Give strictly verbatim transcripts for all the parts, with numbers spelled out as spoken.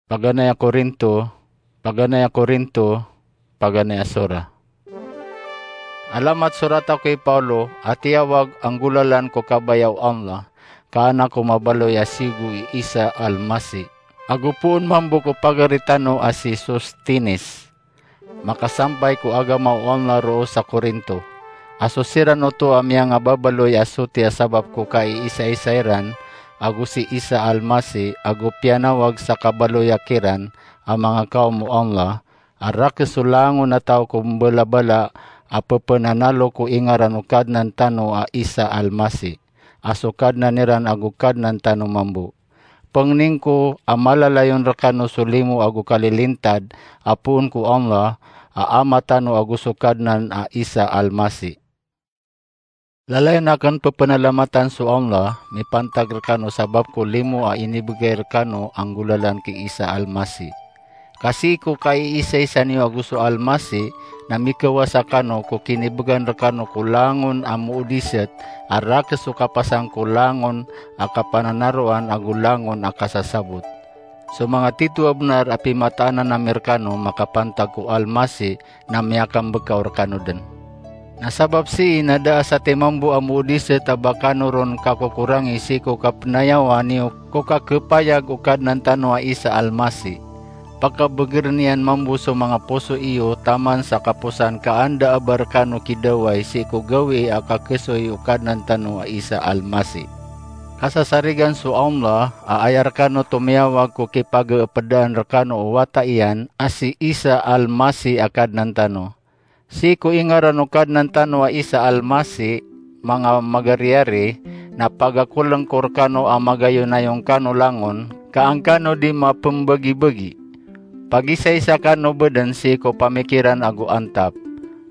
Paganay a Korinto, paganay a Korinto, paganay a sora. Alamat sorat ako i Paolo, a tiyawag a nggolalan ko kabaya o Allah, ka anak o mabaloy a siyogo i Isa Almasi. Ago poon mambo ko pagari tano a si Sostenes, makasampay ko agama o Allah roo sa Korinto. A so siran oto a miyangababaloy a soti a sabap ko kaiisaisa iran ago si Isa Almasi, ago piyanawag sa kabaloya kiran a manga kawm o Allah, a rakes so langon a taw ko mbalabala a pepenanalo ko ingaran o Kadnan tano a Isa Almasi, a so Kadnan iran ago Kadnan tano mambo. Pengning ko a malalayon rekano so limo ago kalilintad a poon ko Allah a Ama tano ago so Kadnan a Isa Almasi. Lalayon aken pepenalamatan so Allah mipantag rekano sabap ko limo a inibegay rekano a nggolalan ki Isa Almasi. Ka sii ko kaiisaisa niyo ago so Almasi na mikawasa kano ko kinibegan rekano ko langon a moodiset a rakes so kapasang ko langon a kapananaroan ago langon a kasasabot. So manga tito a benar a pimataanan ami rekano makapantag ko Almasi na miyakambekaw rekano den. Na sabap sii na da a satiman bo a moodiset a ba kano ron kakokorangi sii ko kapenayawa niyo ko kakepayag o Kadnan tano a Isa Almasi. Pakabegeren iyan mambo so manga poso iyo taman sa kaposan ka anda a ba rekano kidaway sii ko gawii a kakesoy o Kadnan tano a Isa Almasi. Kasasarigan so Allah a aya rekano tomiyawag ko kipageepedaan rekano o wata iyan a si Isa Almasi a Kadnan tano. Sii ko ingaran o Kadnan tano a Isa Almasi, manga magariyari, na pagakoleng ko rekano a magayonayong kano langon, ka an kano di mapembagibagi. Pagisaisa kano beden sii ko pamikiran ago antap.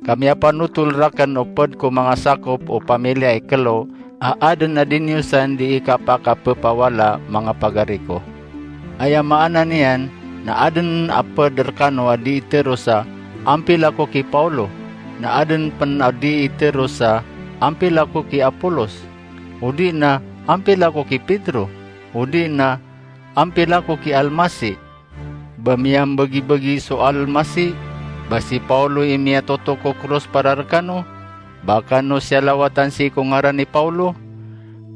Ka miyapanotol raken o ped ko manga sakop o pamiliya i kelo a aden a di niyo san di ikapakapepawala, manga pagari ko. Aya maana niyan na aden a ped rekano a di iteros a, "Ampila ko ki Paulo," na aden pen a di iteros a, "Ampila ko ki Apolos," odi na, "Ampila ko ki Pedro," odi na, "Ampila ko ki Almasi." Ba miyambagibagi so Almasi? Ba si Paulo i miyatotok ko kros para rekano? Ba kano siyalawatan sii ko ngaran i Paulo?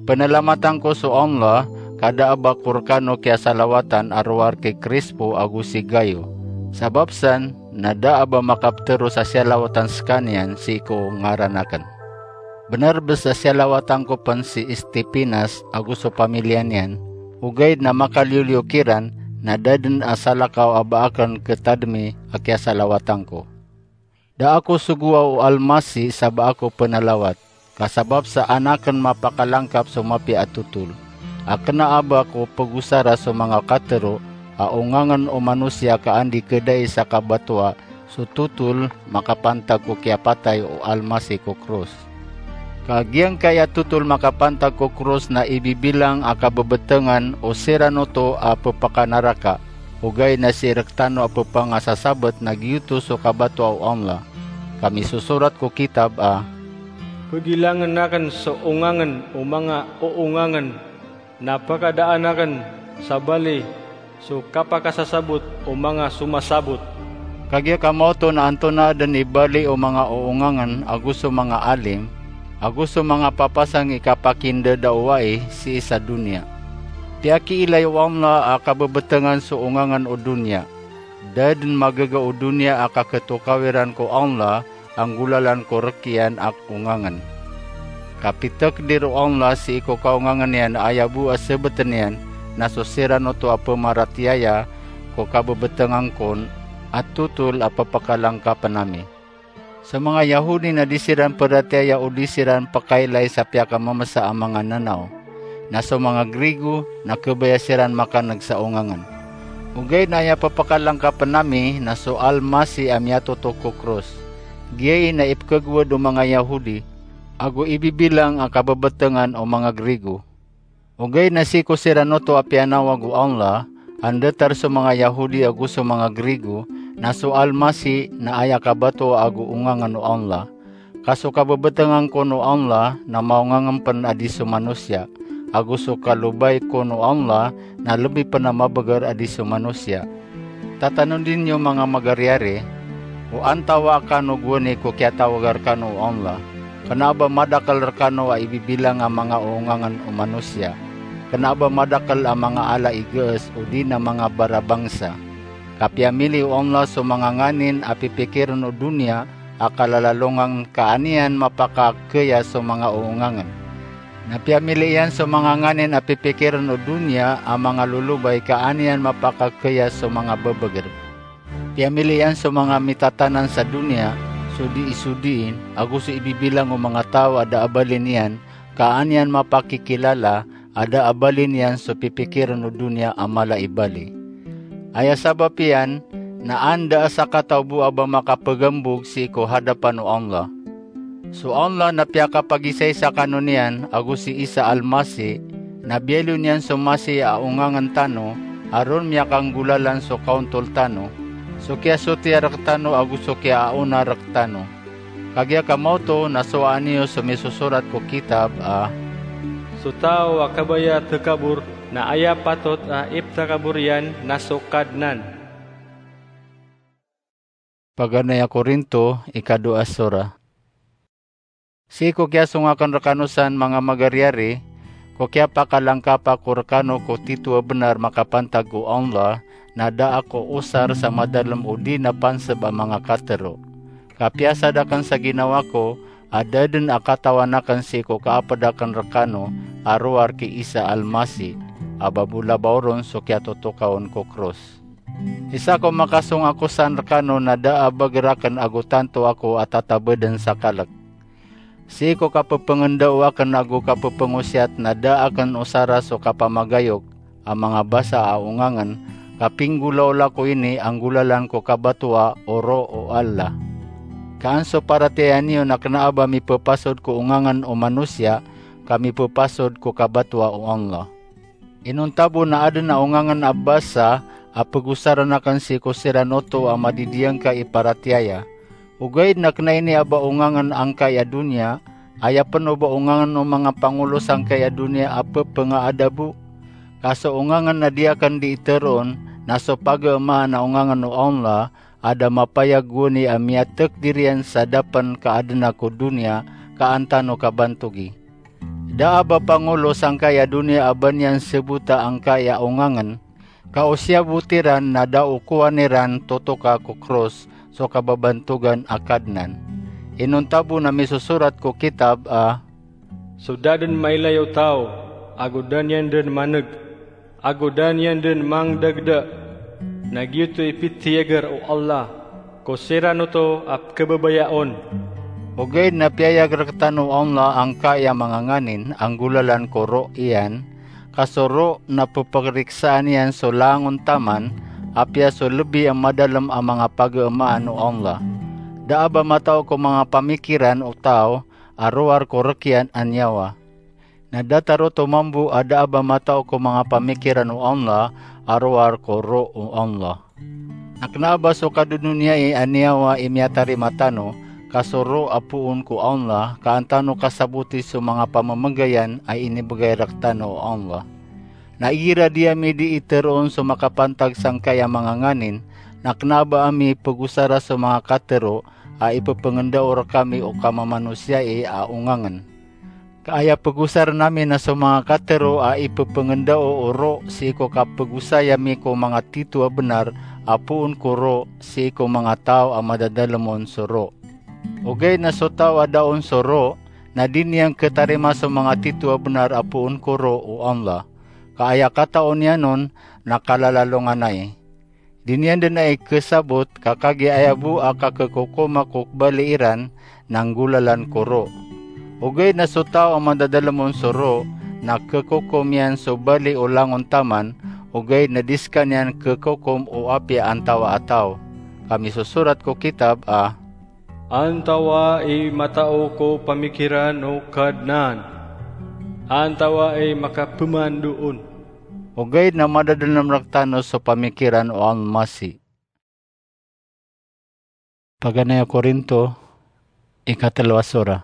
Penalamatan ko so Allah, ka da a ba ko rekano kiyasalawatan a rowar ki Crispo ago si Gayo. Sabap san, na da a ba makapteros a siyalawatan sekaniyan sii ko ngaran aken. Benar bes a siyalawatan ko pen si Estepanas ago so pamiliya niyan, ogaid na makaliyoliyo kiran, na da den a salakaw a ba aken ketademi a kiyasalawatan ko. Da ako sogoa o Almasi sa ba ako penalawat, ka sabap sa an aken mapakalangkap so mapiya a totol. A kena a ba ko pegosara so manga katero a ongangen o manosiya ka an di kedai sa kabatoa so totol makapantag ko kiyapatay o Almasi ko kros. Ka giyangkai a totol makapantag ko kros na ibibilang a kabebetengan o siran oto a pepakanaraka, ogaid na sii rektano a pepangasasabet na giyoto so kabatoa o Allah. Ka misosorat ko kitab a, "Pegilangen aken so ongangen o manga oongangen, na pakadaan aken sa bali so kapakasasabot o manga somasabot." Kagiya ka maoto na antonaa den i bali o manga oongangen ago so manga alim, ago so manga papasang i kapakindadawai sii sa doniya. Piyakiilay o Allah a kabebetengan so ongangen o doniya. Da den magaga o doniya a kaketokawiran ko Allah a nggolalan ko rekiyan a ongangen. Ka pitekdir o Allah sii ko kaongangen iyan a aya bo a sebeten iyan na so siran oto a pemaratiyaya ko kabebetengan kon a totol a pepakalangkapen ami. So manga Yahudi na di siran peratiyaya o di siran pekailay sa piyakamemesa a manga nanaw. Na so manga Grigo na kebaya siran makaneg sa ongangen. Ogaid na aya pepakalangkapen ami na so Almasi a miyatotok ko kros. Giyai na ipekegowad o manga Yahudi, ago ibibilang a kabebetengan o manga Grigo. Ogaid na sii ko siran oto a piyanawag o Allah, a ndatar so manga Yahudi ago so manga Grigo, na so Almasi na aya kabatoa ago ongangen o Allah. Ka so kabebetengan kon o Allah na maongangen pen a di so manosiya, ago so kalobay kon o Allah na lebi pen a mabeger a di so manosiya. Tatanodi niyo manga magariyari, o antawaa kano gowani ko kiyatawaga rekano o Allah. Kena a ba madakel rekano a ibibilang a manga oongangen o manosiya. Kena a ba madakel a manga ala i gees odi na manga barabangsa. Ka piyamili o Allah so manga nganin a pipikiren o doniya a kalalalongan ka an iyan mapakakeya so manga oongangen. Na piyamili iyan so manga nganin a pipikiren o doniya a manga lolobay ka an iyan mapakakeya so manga bebeger. Piyamili iyan so manga mitatanan sa doniya, so dii so dii, ago so ibibilang o manga taw a da a bali niyan, ka an iyan mapakikilala a da a bali niyan so pipikiren o doniya a mala i bali. Aya sabap iyan na an da a sakataw bo a ba makapegambog sii ko hadapan o Allah. So Allah na piyakapagisaisa kano niyan ago si Isa Al-Masih, na biyaloy niyan so Masih a ongangen tano, a ron miyakanggolalan so kaontol tano, so kiyasotiya rektano ago so kiyaaona rektano. Kagiya ka maoto na sowaa niyo so misosorat ko kitab a, "So taw a kabaya tekabor, na aya patot a iptekabor iyan na so Kadnan." Paganay a Korinto, ikadowa a sora. Sii ko kiyasong aken rekano san manga magariyari, ko kiyapakalangkap ako rekano ko tito a benar makapantag ko Allah, na da ako osar sa madalem odi na panseb a manga katero. Ka piyasad aken sa ginawa ko, a da den a katawan aken sii ko kaaped aken rekano a rowar ki Isa Al-Masih, a ba bo labaw ron so kiyatotokawen ko kros. Isa ko makasong ako san rekano na da a beger aken ago tanto ako a tatabeden sa kalek. Sii ko kapepengendao aken ago kapepengosiyat na da aken osara so kapamagayok a manga basa a ongangen, ka pinggolaola ko ini a nggolalan ko kabatoa o Roh o Allah. Ka an so paratiyaya niyo na kena a ba mipepasod ko ongangen o manosiya, ka mipepasod ko kabatoa o Allah. Inonta bo na aden a ongangen a basa a pegosaren aken sii ko siran oto a madidiyangkai i paratiyaya. Ogaid na kena ini a ba ongangen angkai a doniya, aya pen o ba ongangen o manga pangolo sangkai a doniya a pepengaada bo. Ka so ongangen a di aken dii teroon, na so pageemaan a ongangen o Allah, a da mapayag gowani a miyatekdir iyan sa da pen ka aden ako doniya ka an tano kabantogi. Da a ba pangolo sangkai a doniya a ba niyan sebota angkai a ongangen, ka o siyabot iran na da o kowan iran totoka ko kros so kababantogan a Kadnan. Inonta bo na misosorat ko kitab a, "So da den mailay o taw, ago da niyan den maneg, ago da niyan den mangdagda, na giyoto i pitiyager o Allah ko siran oto a pekebebaya on." Ogaid na piyayag rektano o Allah angkai a manga nganin a nggolalan ko Roh iyan, ka so Roh na peperiksa niyan so langon taman, apiya so lebi a madalem a manga pageemaan o Allah. Da a ba matao ko manga pamikiran o taw a rowar ko rekiyan a niyawa. Na datar oto mambo a da a ba matao ko manga pamikiran o Allah a rowar ko Roh o Allah. Na kena a ba so kadodoniyai a niyawa i miyatarima tano, ka so Roh a poon ko Allah, ka an tano kasaboti so manga pamemegayan a inibegay rektano o Allah. Na igira di ami dii teroon so makapantag sangkai a manga nganin, na kena a ba ami pegosara so manga katero a ipepengendao rekami o kamamanosiyai a ongangen. Ka aya pegosaren ami na so manga katero a ipepengendao o Roh sii ko kapegosay ami ko manga tito a benar a poon ko Roh sii ko manga taw a madadalem on so Roh. Ogaid na so taw a da on so Roh, na di niyan ketarima so manga tito a benar a poon ko Roh o Allah. Ka aya katao niyan on na kalalalonganay. Di niyan den ai kesabot, ka kagiya aya bo a kakekokoma ko kebali iran na nggolalan ko Roh. Ogaid na so taw a madadalem on so Roh, na kekokom iyan so bali o langon taman, ogaid na di sekaniyan kekokom o apiya antawaa a taw. Ka misosorat ko kitab a, "Antawaa i matao ko pamikiran o Kadnan? Antawaa i makapeman doon?" Ogaid na madadalem rektano so pamikiran o Almasih. Paganay a Korinto, ikatelo a sora.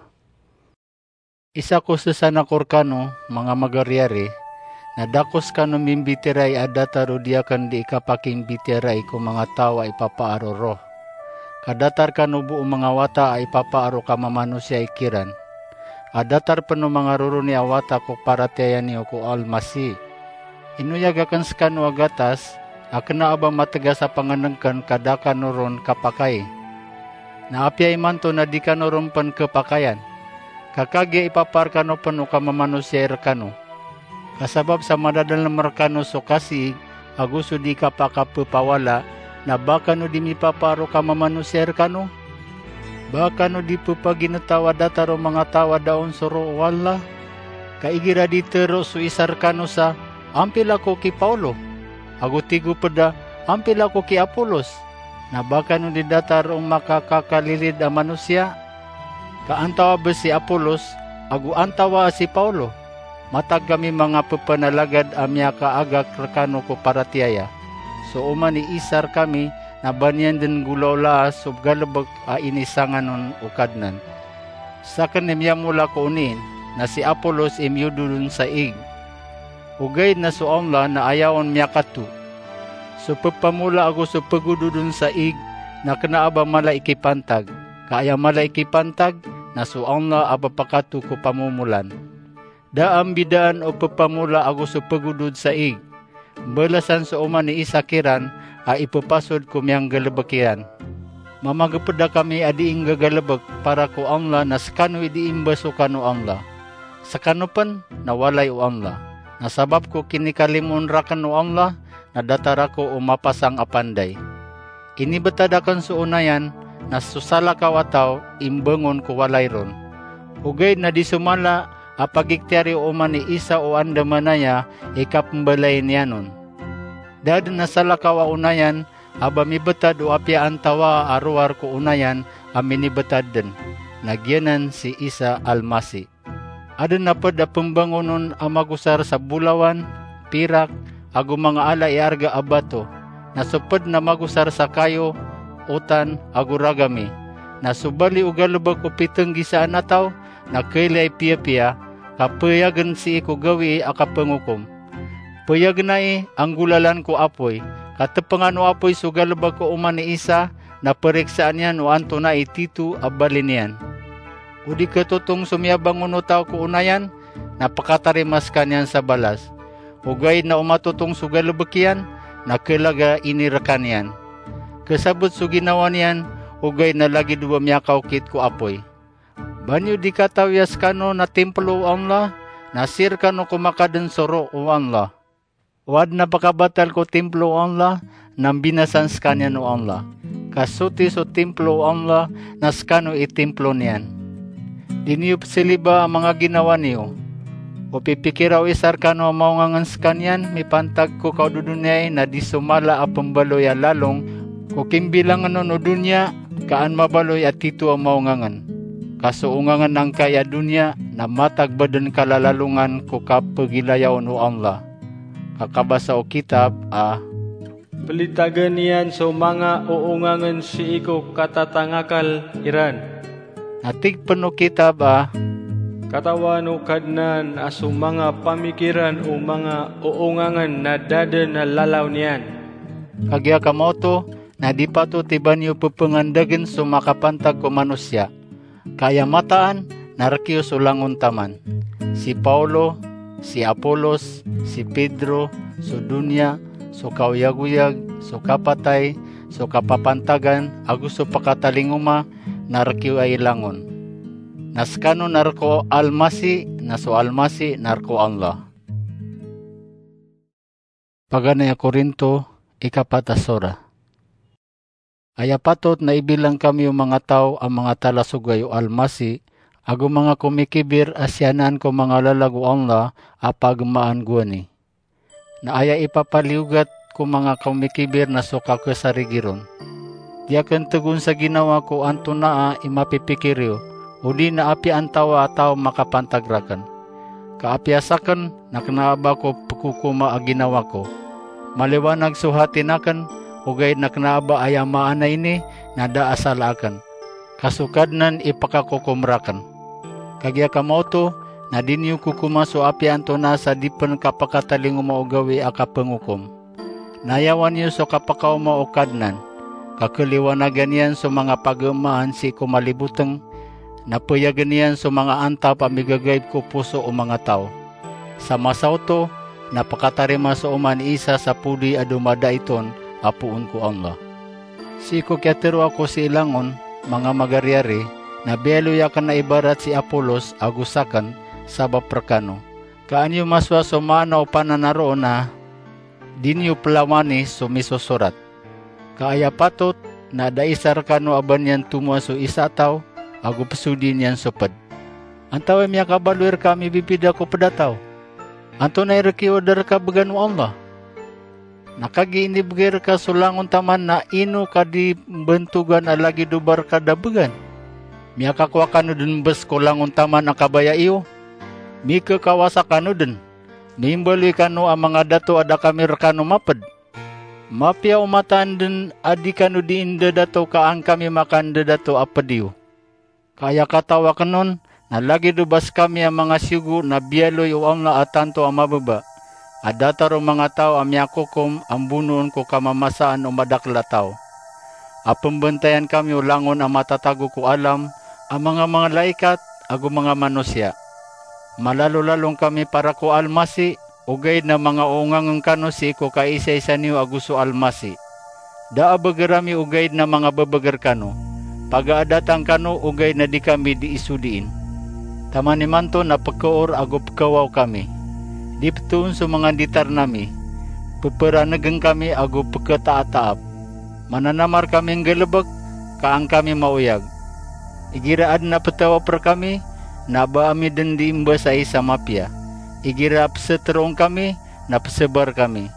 Isa ko sesan ako rekano, manga magariyari, na da ko skano mimbitiyarai a datar o di akn di ikapakimbitiyarai ko manga taw a ipapaar o roh. Ka datar kano bo o manga wata a ipapaar o kamamanosiya ikiran. A datar pn o manga roroni a wata ko paratiyaya niyo ko Almasi. Inoyag akn skano a gatas, a kna a ba matgas a pangnngkn ka da kano ron kapakai. Na apiya imanto na di kano ron pn khapakayan. Ka kagiya ipapaar kano pn o kamamanosiya i rkano. Ka sabap sa madadalm rkano so kasiig, ago so di kapakapphawala, na ba kano di mipapaar o kamamanosiya i rkano? Ba kano di pphagintaw a datar o manga taw a da on so roh o Allah? Ka igira di tharoa so isa rkano sa, "Ampila ko ki Paulo?" Ago tig o pd a, "Ampila ko ki Apolos?" Na ba kano di datar o makakakalilid a manosiya? Ka antawaa bo si Apolos, ago antawaa si Paulo? Matag kami manga pphanalagad a miyakaagak rkano ko paratiyaya. So oman i isa rkami na ba niyan dn nggolawlaa so galbk a inisangan on o Kadnan. Sakn i miyamola ko oniin, na si Apolos i miyodod on sa ig. Ogaid na so Allah na aya on miyakato. So pphamola ago so phagodod on sa ig na kna a ba mala i kipantag, ka aya mala i kipantag na so Allah a ba pakato ko pamomolan. Da a mbidaan o pphamola ago so phagodod sa ig. Mbalasan so oman i isa kiran a ippasod ko miyanggalbk iran. Mamagpda kami a dii nggagalbk para ko Allah na skano i dii mbasokan o Allah. Skano pn na walay o Allah. Na sabap ko kinikalimoon rakn o Allah, na datar ako o mapasang a panday. Inibtad akn so onayan, na so salakaw a taw i mbangon ko walay ron. Ogaid na di so mala a pagikhtiyari o oman i isa o andamanaya i kapmbalayin iyan on. Da dn a salakaw a onayan a ba mibtad o apiya antawaa a rowar ko onayan a minibtad dn, na giyanan si Isa Almasi. Adn a pd a pmbangon on a magosar sa bolawan, pirak, ago manga ala i arga a bato, na so pd na magosar sa kayo, otan, ago ragami. Na so bali o galbk o pitnggisaan a taw na kaylay piyapiya, ka payagn sii ko gawii a kapangokom. Payagn ai a nggolalan ko apoy, ka tpngan o apoy so galbk o oman i isa, na pariksaan iyan o antonaa i tito a bali niyan. O di khatotong so miyabangon o taw ko onayan, na pkatarima skaniyan sa balas. Ogaid na o matotong so galbk iyan, na khalag a inirkan iyan. Khasabot so ginawa niyan, ogaid na lagid o ba miyakaokit ko apoy. Ba niyo di katawi a skano na timplo o Allah, na sii rkano ko makadn so roh o Allah. O adn a pkabatal ko timplo o Allah, na mbinasan skaniyan o Allah. Ka soti so timplo o Allah, na skano i timplo niyan. Di niyo pzaliba a manga ginawa niyo. O pipikira o isa rkano a maongangn skaniyan mipantag ko kaododoniyai na di so mala a pmbaloy a lalong ko kimbilangn on o doniya, ka an mabaloy a tito a maongangn. Ka so ongangn angkai a doniya na matag ba dn kalalalongan ko kapgilayaon o Allah. Ka kabasa o kitab a, "Plitagn iyan so manga oongangn sii ko katatangakl iran." Na tig pn o kitab a, "Katawan o Kadnan a so manga pamikiran o manga oongangn na da dn a lalaw niyan." Kagiya ka maoto na di patot i ba niyo pphangandagn so makapantag ko manosiya. Ka aya mataan na rk iyo so langon taman. Si Paulo, si Apolos, si Pedro, so doniya, so kaoyagoyag, so kapatay, so kapapantagan, ago so pkatalingoma, na rk iyo ai langon. Na skano na rk o Almasi, na so Almasi na rk o Allah. Paganay a Korinto, ikapat a sora. Aya patot na ibilang kami o manga taw a manga talasogay o Almasi, ago manga komikibir a siyanaan ko manga lalag o Allah a pagmaan gowani. Na aya ipapaliyogat ko manga komikibir na so kakasarigi ron. Di akn tgon sa ginawa ko antonaa i mapipikir iyo, odi na apiya antawaa a taw makapantag rakn. Ka apiya sakn na kna a ba ko pkhokoma a ginawa ko. Maliwanag so hatin akn, ogaid na kna a ba aya maana ini na da a sala akn. Ka so Kadnan i pkakokom rakn. Kagiya ka maoto na di niyo kokoma so apiya antonaa sa di pen kapakatalingoma o gawii a kapengokom. Nayawan iyo so kapakaoma o Kadnan, ka keliwanagan iyan so manga pageemaan sii ko maliboteng, na peyagen iyan so manga antap a migagaib ko poso o manga taw. Sa masa oto, na pekatarima so oman i Isa sa podi a domadait on a poon ko Allah. Sii ko kiyatero ako sii langon, manga magariyari, na biyaloy aken a ibarat si Apolos ago saken, sabap rekano. Ka an iyo masowa so maana o pananaroon a di niyo pelawani so misosorat. Ka aya patot na da isa rekano a ba niyan tomoa so isa a taw ago pesodi niyan so ped. Antawaa i miyakabaloy reka a mibibida ko ped a taw? Antonaa i rekiyo a da reka began o Allah? Na kagiya inibegay reka so langon taman na ino ka di mbentogan a lagid o ba reka da began? Miyakakowa kano den mbes ko langon taman a kabaya iyo? Mikekawasa kano den. Mimbaloy kano a manga dato a da kami rekano maped. Mapiya o mataan den a di kano dii ndadato ka an kami makandadato a ped iyo. Ka aya kataw aken on, na lagid o ba sekami a manga siyogo na biyaloy o Allah a tanto a mababa, a datar o manga taw a miyakokom a mbonoon ko kamamasaan o madakel a taw. A pembentayan kami o langon a matatago ko alam, a manga malaikat, ago manga manosiya. Malalolalong kami para ko Almasi, ogaid na manga oongangen kano sii ko kaisaisa niyo ago so Almasi. Da a beger ami ogaid na manga bebeger kano. Paga a datang kano ogaid na di kami dii sodiin. Taman imanto na pekeor ago pekewaw kami. Di petoon so manga nditarn ami. Peperanegen kami ago peketaataap. Mananamar kami nggalebek, ka an kami maoyag. Igira aden a petawap rekami, na ba ami den dii mbasai sa mapiya. Igira peseteroon kami, na pesebar kami.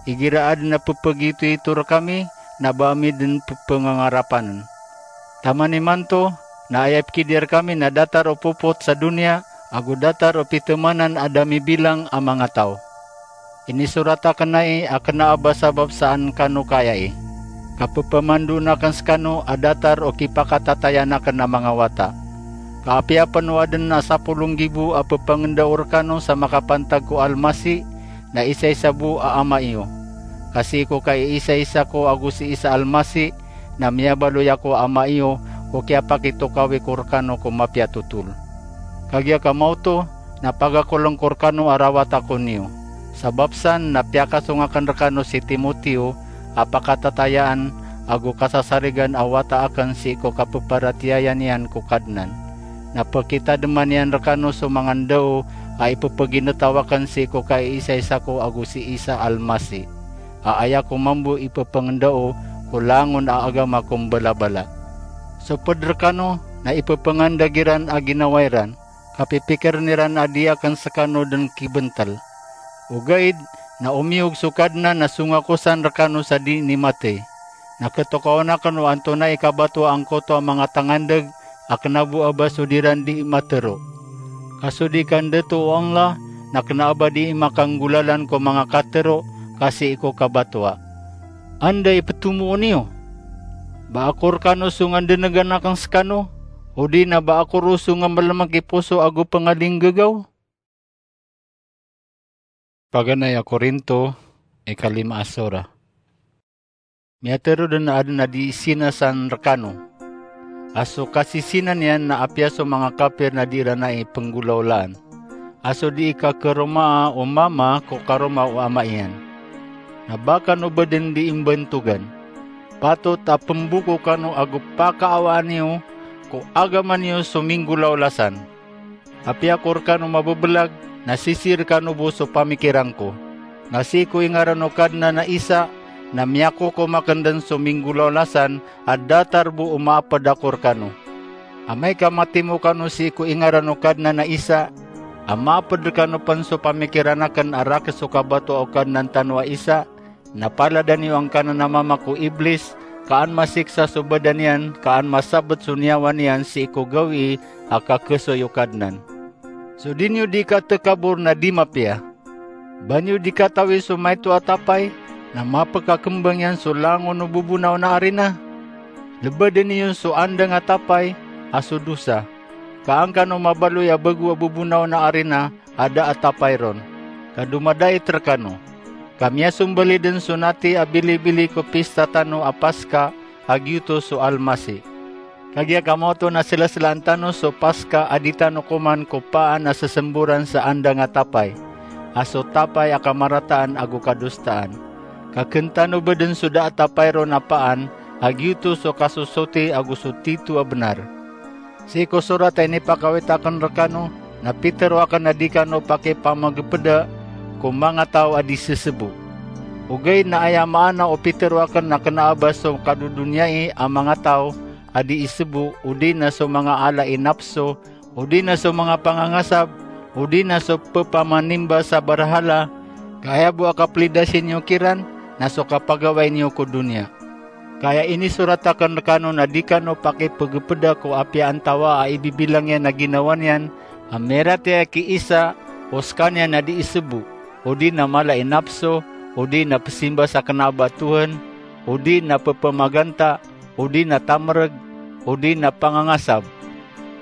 Igira aden a pepegitoito rekami, na ba ami den pepengangarapanen. Taman imanto, na aya pekidiya rekami na datar o popot sa doniya, ago datar o pitemanan a da mibilang a manga taw. Inisorat aken ai a kena a ba sabap sa an kano kayai. Ka pepamandoon aken sekano a datar o kipakatatayaan aken a manga wata. Ka apiya pen o aden a sapolo nggibo a pepangendao rekano sa makapantag ko Almasi, na isaisa bo a ama iyo. Ka sii ko kaisaisa ko ago si Isa Almasi, na miyabaloy ako a ama iyo ko kiyapakitokawi ko rekano ko mapiya a totol. Kagiya ka maoto, na pagakoleng ko rekano a rawat ako niyo. Sabap san na piyakasong aken rekano si Timoteo a pakatatayaan ago kasasarigan a wata aken sii ko kapeparatiyaya niyan ko Kadnan. Na pekitademan iyan rekano so manga ndao a ipepeginetaw aken sii ko kaisaisa ko ago si Isa Almasi, a aya ko mambo ipepengendao ko langon a agama ko mbalabala. So ped rekano na ipepengandeg iran a ginawa iran, ka pipikiren iran a di aken sekano den kibentel. Ogaid na omiyog so Kadnan a songakosan rekano sa di nimatey. Na ketokawan aken o antonaa i kabatoa angkoto a manga tangandeg a kena bo a ba so di ran dii matero. Ka so dii kandato o Allah na kena a ba dii makanggolalan ko manga katero ka sii ko kabatoa. Anda i petomoon iyo? Ba ako rekano so ngandenegan aken sekano, odi na ba ako roo so ngamelemek i poso ago pengalinggegaw? Paganay a Korinto, ikalima a sora. Miyatero den a aden a dii sinasan rekano a so kasisinan iyan na apiya so manga kapir na dii ran ai penggolawlaan, a so dii kakeromaa o mama ko karoma o ama iyan. Na ba kano ba den dii mbantogan. Patot a pemboko kano ago pakaawaan iyo ko agama niyo so minggolawla san. Apiya ko rekano mabebelag, na sisii rekano bo so pamikiran ko. Na sii ko ingaran o Kadnan a Isa, na miyakokom aken den so minggolawla san a datar bo o maaped ako rekano. Amay ka matimo kano sii ko ingaran o Kadnan a Isa, a maaped rekano pen so pamikiran aken a rakhs o kabatoa o Kadnan tano a Isa, na palada niyo angkanan a mama ko Iblis, ka an masiksa so badan iyan, ka an masabet so niyawa niyan sii ko gawii a kakesoy o Kadnan. So di niyo dii katekabor na di mapiya. Ba niyo dii katawi so maito a tapay, na mapekakembang iyan so langon o bobonaw na arina? Lebeden iyo so andang a tapay, a so dosa. Ka an kano mabaloy a bago a bobonaw na arina a da a tapay ron, ka domadait rekano. Ka miyasombali den so nati a bilibili ko pista tano a Paska, a giyoto so Almasih. Kagiya kamaoto na selaselaan tano so Paska a di tano koman kopaan a sesemboran sa andang a tapay, a so tapay a kamarataan ago kadosaan. Ka ken tano beden so da a tapay ron a paan, a giyoto so kasosoti ago so tito a benar. Sii ko sorat a inipakawit aken rekano, na pitero aken a di kano pakipamegepeda ko manga taw a di sesebo. Ogaid na aya maana o pitero aken na kena a ba so kadodoniyai a manga taw a di isebo, odi na so manga ala i napso, odi na so manga pangangasab, odi na so pepamanimba sa barahala, ka aya bo a kaplidasi niyo kiran na so kapagawai niyo ko doniya. Ka aya inisorat aken rekano na di kano pakipegepeda ko apiya antawa a ibibilang iyan a ginawa niyan a miyaratiyaya ki Isa, o sekaniyan a di isebo, odi na mala i napso, odi na pesimba sa kena a ba Tohan, odi na pepemaganta, odi na tamereg, odi na pangangasab.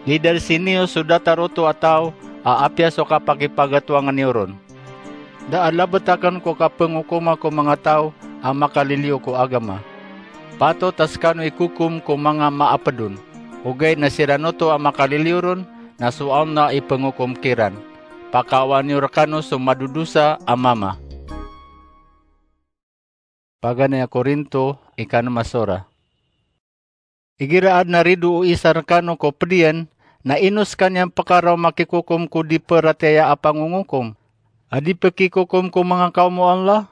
Lidarsi niyo so datar oto a taw a apiya so kapakipagatowangen iyo ron. Da a labet aken ko kapengokoma ko manga taw a makaliliyo ko agama. Patot a sekano ikokom ko manga maaped on, ogaid na siran oto a makaliliyo ron na so Allah i pengokom kiran. Pakaawaan iyo rekano so madodosa a mama. Paganay a Korinto, ikanem a sora. Igira aden a rido o isa rekano ko ped iyan, na ino sekaniyan pekaraw makikokom ko di peratiyaya a pangongokom, a di pekikokom ko manga kaom o Allah?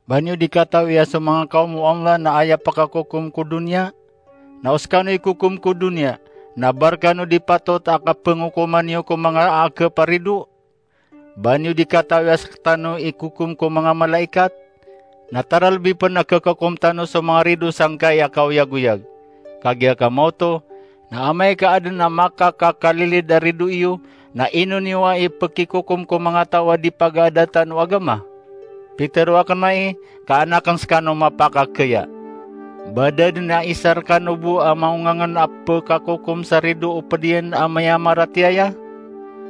Ba niyo di katawi a so manga kaom o Allah na aya pekakokom ko doniya? Na o sekano ikokom ko doniya, na ba rekano di patot a kapengokoman iyo ko manga a keparido? Ba niyo di katawi a sekatano ikokom ko manga malaikat? Na taralbi pen a kekakom tano so manga rido sangkai a kaoyagoyag. Kagiya kamaoto, na amay ka aden a makakakalilid a rido iyo, na ino niyo a ipekikokom ko manga taw a di pagaadatan o agama? Pitero aken ai, ka an aken sekano mapakakeya. Ba da den a isa rekano bo a maongangen a pekakokom sa rido o ped iyan a miyamaratiyaya?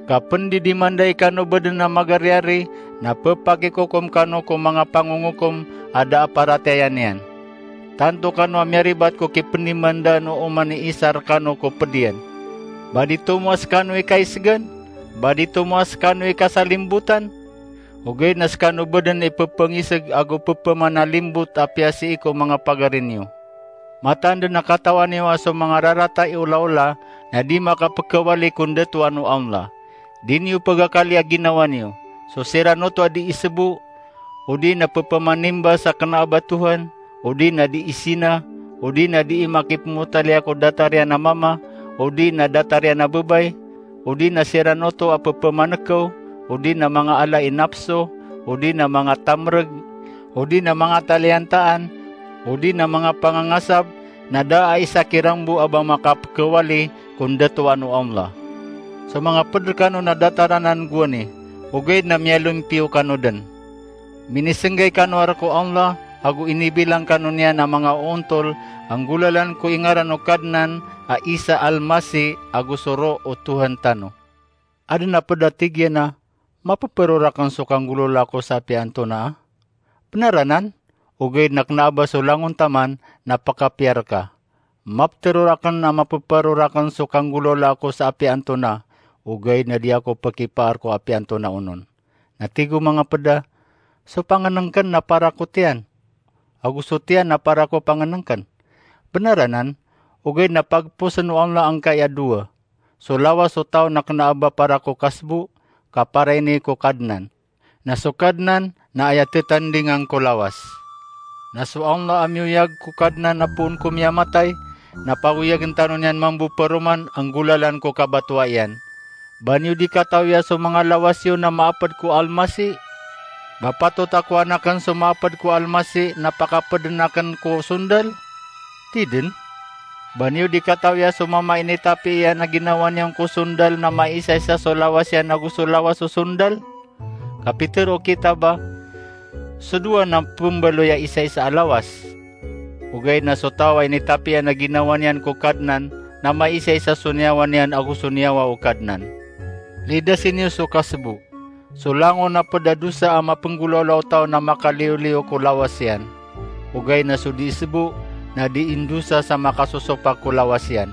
Ka pendidimandai kano beden a magariari, na pepakikokom kano ko manga pangongokom a da a paratiyaya niyan. Tanto kano a miyaribat ko kipendimandaan o oman i isa rekano ko ped iyan. Ba di tomo a sekano i kaisegan? Ba di tomo a sekano i kasalimbotan? Ogaid na sekano beden i pepengiseg ago pepemanalimbot a piyasii ko manga pagari niyo. Mataan den a katawan iyo a so manga rarata i olaola na di makapekawali ko ndatoan o Allah. Di niyo pegakali a ginawa niyo. So siran oto a di isebo, odi na pepemanimba sa kena a ba Tohan, odi na di isina, odi na di imakipemotaliya ko datar iyan a mama, odi na datar iyan a bebay, odi na siran oto a pepemanekew, odi na manga ala i napso, odi na manga tamereg, odi na manga taliyantaan, odi na manga pangangasab, na da a isa kiran bo a ba makapekawali ko ndatoan o Allah. So manga ped rekano na datar anan gowani, ogaid na miyalompiyo kano den. Minisenggay kano a rek o Allah, ago inibilang kano niyan a manga oontol a nggolalan ko ingaran o Kadnan a Isa Almasih ago so Roh o Tohan tano. Aden a ped a tig iyan a, mapepero raken so kanggolawla ko sa apiya antonaa? Benar anan, ogaid na kena a ba so langon taman na pekapiya reka. Mapetero raken a mapepero raken so kanggolawla ko sa apiya antonaa, ogaid na di ako pekipaar ko apiya antonaa onon. Na tig o manga ped a, so pangenengken na para ko tiyan, ago so tiyan na para ko pangenengken. Benar anan, ogaid na pagposen o Allah angkai a dowa. So lawas o taw na kena a ba para ko kasbo, ka para ini ko Kadnan. Na so Kadnan na aya tetandingan ko lawas. Na so Allah a miyoyag ko Kadnan a poon ko miyamatay, na pagoyagen tano niyan mambo paroman a nggolalan ko kabatoa iyan. Ba niyo di katawi a so manga lawas iyo na maaped ko Almasih? Ba patot a kowan aken so maaped ko Almasih na pakapeden aken ko sondal? Tiden. Ba niyo di katawi a so mama a initapi iyan a ginawa niyan ko sondal na maisaisa so lawas iyan ago so lawas o sondal? Ka pitero o kitab a, so dowa na pembaloy a isaisa a lawas. Ogaid na so taw a initapi iyan a ginawa niyan ko Kadnan na maisaisa so niyawa niyan ago so niyawa o Kadnan. Lidasi niyo so kasbo. So langon a ped a dosa a mapenggolawla o taw na makaliyoliyo ko lawas iyan. Ogaid na so dii sbo na dii ndosa sa makasosopak ko lawas iyan.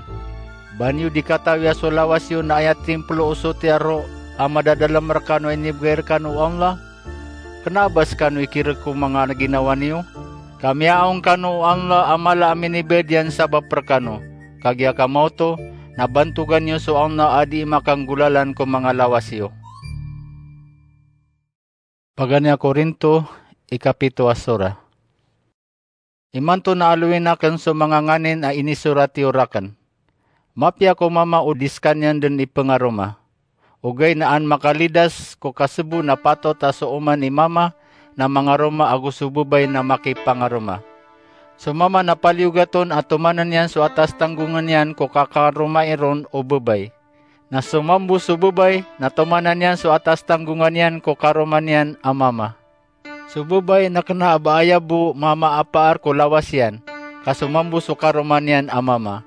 Ba niyo dii katawi a so lawas iyo na aya timplo o sotiya roo a madadalem rekano a inibegay rekano o Allah? Kena a ba sekano ikirek ko manga ginawa niyo? Ka miyaong kano o Allah a mala a minibayad iyan sabap rekano. Kagiya ka maoto, na bantogan iyo so Allah a dii makanggolalan ko manga lawas iyo. Paganay a Korinto, ikapito a sura. Imanto na aloyin aken so manga nganin a inisorat iyo raken. Mapiya ko mama o dii sekaniyan den ipengaroma. Ogaid na an makalidas ko kasbo na patot a so oman i mama na mangaroma ago so bebay na makipangaroma. So mama na paliyogat on a tomanen iyan so atas tanggongen iyan ko kakaromai ron o bebay. Na so mambo so bebay na tomanen iyan so atas tanggongen iyan ko karoma niyan a mama. So bebay na kena a ba aya bo mamaapaar ko lawas iyan, ka so mambo so karoma niyan a mama.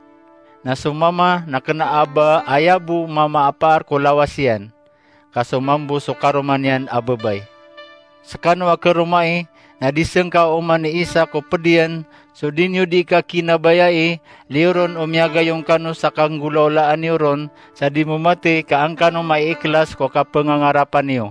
Na so mama na kena a ba aya bo mamaapaar ko lawas iyan, ka so mambo so karoma niyan a bebay. Sekano a karomai, na dii sengka o oman i isa ko ped iyan, so dii niyo dii kakinabayai, liyo ron o miyagayon kano sa kanggolawlaan iyo ron, sa dii mo matey ka an kano maiikhlas ko kapengangarapan iyo.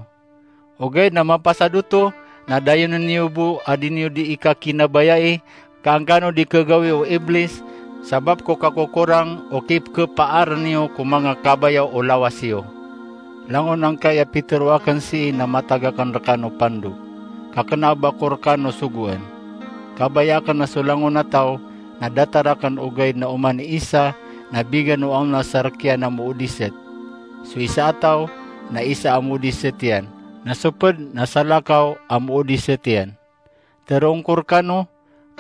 Ogaid na mapasad oto, na dayonen iyo bo a dii niyo dii kakinabayai, ka an kano dii kegawii o Iblis, sabap ko kakokorang o kipekepaaren iyo ko manga kabayaw o lawas iyo. Langon angkaya pitero aken sii na matag aken rekano pando, ka kena a ba ko rekano sogoan. Kabaya aken a so langon a taw na datar aken ogaid na oman i isa na bigan o Allah sa rekiyan a moodiset. So isa a taw na isa a moodiset iyan, na so ped na salakaw a moodiset iyan. Teroon ko rekano,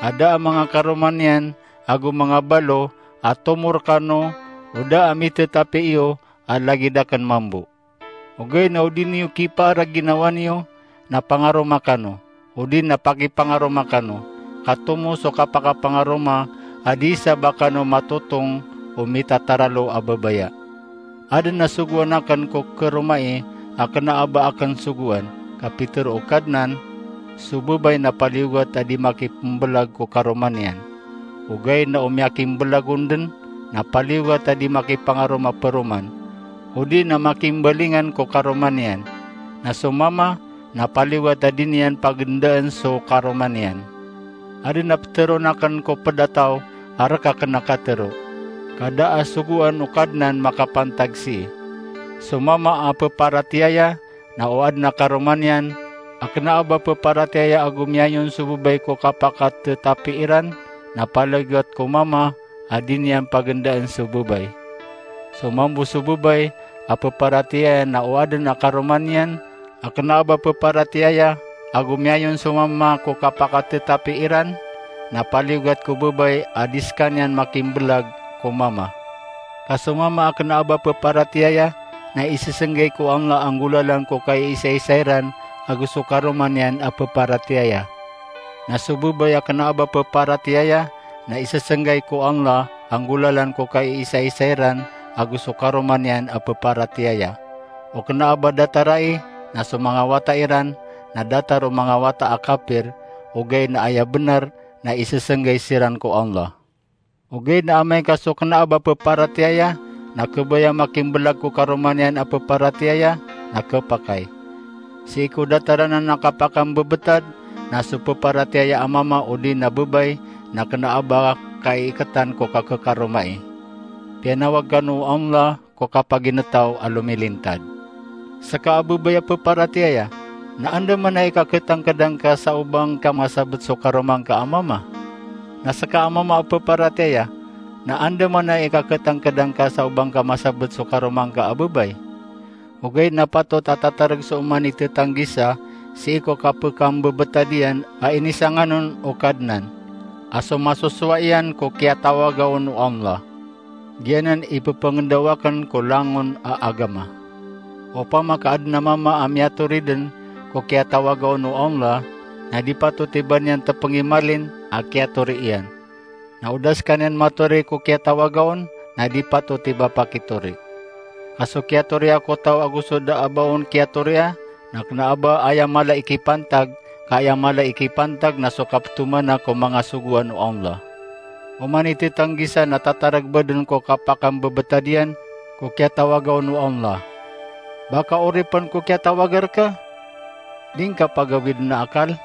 a da a manga karoma niyan ago manga balo a tomo rekano o da a mitetapi iyo a lagid aken mambo. Ogaid na o dii niyo kipaar a ginawa niyo, na pangaroma kano, odi na pakipangaroma kano, ka tomo so kapakapangaroma a dii sa ba kano matotong o mitataralo a babaya. Aden a sogoan aken ko karomai a kena a ba aken sogoan, ka pitero o Kadnan, so bebay na paliyogat a dii makipembelag ko karoma niyan. Ogaid na o miyakimbelag on den na paliyogat a dii makipangaroma peroman, odi na makimbalingan ko karoma niyan. Na so mama na paliyogat a dii niyan pagendaen so karoma niyan. Aden a peteroon aken ko ped a taw a rek aken a katero, ka da a sogoan o Kadnan makapantag sii. So mama a peparatiyaya na o aden a karoma niyan a kena a ba peparatiyaya ago miyayon so bebay ko kapakatetapi iran, na paliyogat ko mama a dii niyan pagendaen so bebay. So mambo so bebay a peparatiyaya na o aden a karoma niyan a kena a ba peparatiyaya ago miyayon so mama ko kapakatetapi iran, na paliyogat ko bebay a dii sekaniyan makimbelag ko mama. Ka so mama a kena a ba peparatiyaya na isesenggay ko Allah a nggolalan ko kaiisaisa iran ago so karoma niyan a peparatiyaya. Na so bebay a kena a ba peparatiyaya na isesenggay ko Allah a nggolalan ko kaiisaisa iran ago so karoma niyan a peparatiyaya. O kena a ba datarai na so manga wata iran na datar o manga wata a kapir, ogaid na aya benar na isesenggay siran ko Allah. Ogaid na amay ka so kena a ba peparatiyaya na kebaya makimbelag ko karoma niyan a peparatiyaya na kepakay. Sii ko datar anan a kapakambebetad na so peparatiyaya a mama odi na bebay na kena a ba kaiketan ko kakekaromai. Piyanawag kano o Allah ko kapaginetaw a lomilintad. Seka a bebay a peparatiyaya, na anda man a ikaketangked angka sa o ba ngka masabet so karoma ngka a mama? Na seka a mama a peparatiyaya, na anda man a ikaketangked angka sa o ba ngka masabet so karoma ngka a bebay? Ogaid na patot a tatareg so oman i tetanggisa sii ko kapekambebetad iyan a inisangan on o Kadnan, a so masosowa iyan ko kiyatawaga on o Allah. Giyanan i pepengendaw aken ko langon a agama. Opama ka aden a mama a miyatori den ko kiyatawaga on o Allah, na di patot i ba niyan tepengimalin a kiyatori iyan. Na o da sekaniyan matori ko kiyatawaga on, na di patot i ba pakitori. Ka so kiyatoriya ko taw ago so da a ba on kiyatoria, na kena a ba aya mala i kipantag, ka aya mala i kipantag na so kaptomana ko manga sogoan o Allah. Oman i tetanggisa na tatareg bo den ko kapakambebetad iyan ko kiyatawaga on o Allah. Ba ka oripen ko kiyatawaga reka? Di ngka pagawid na akal?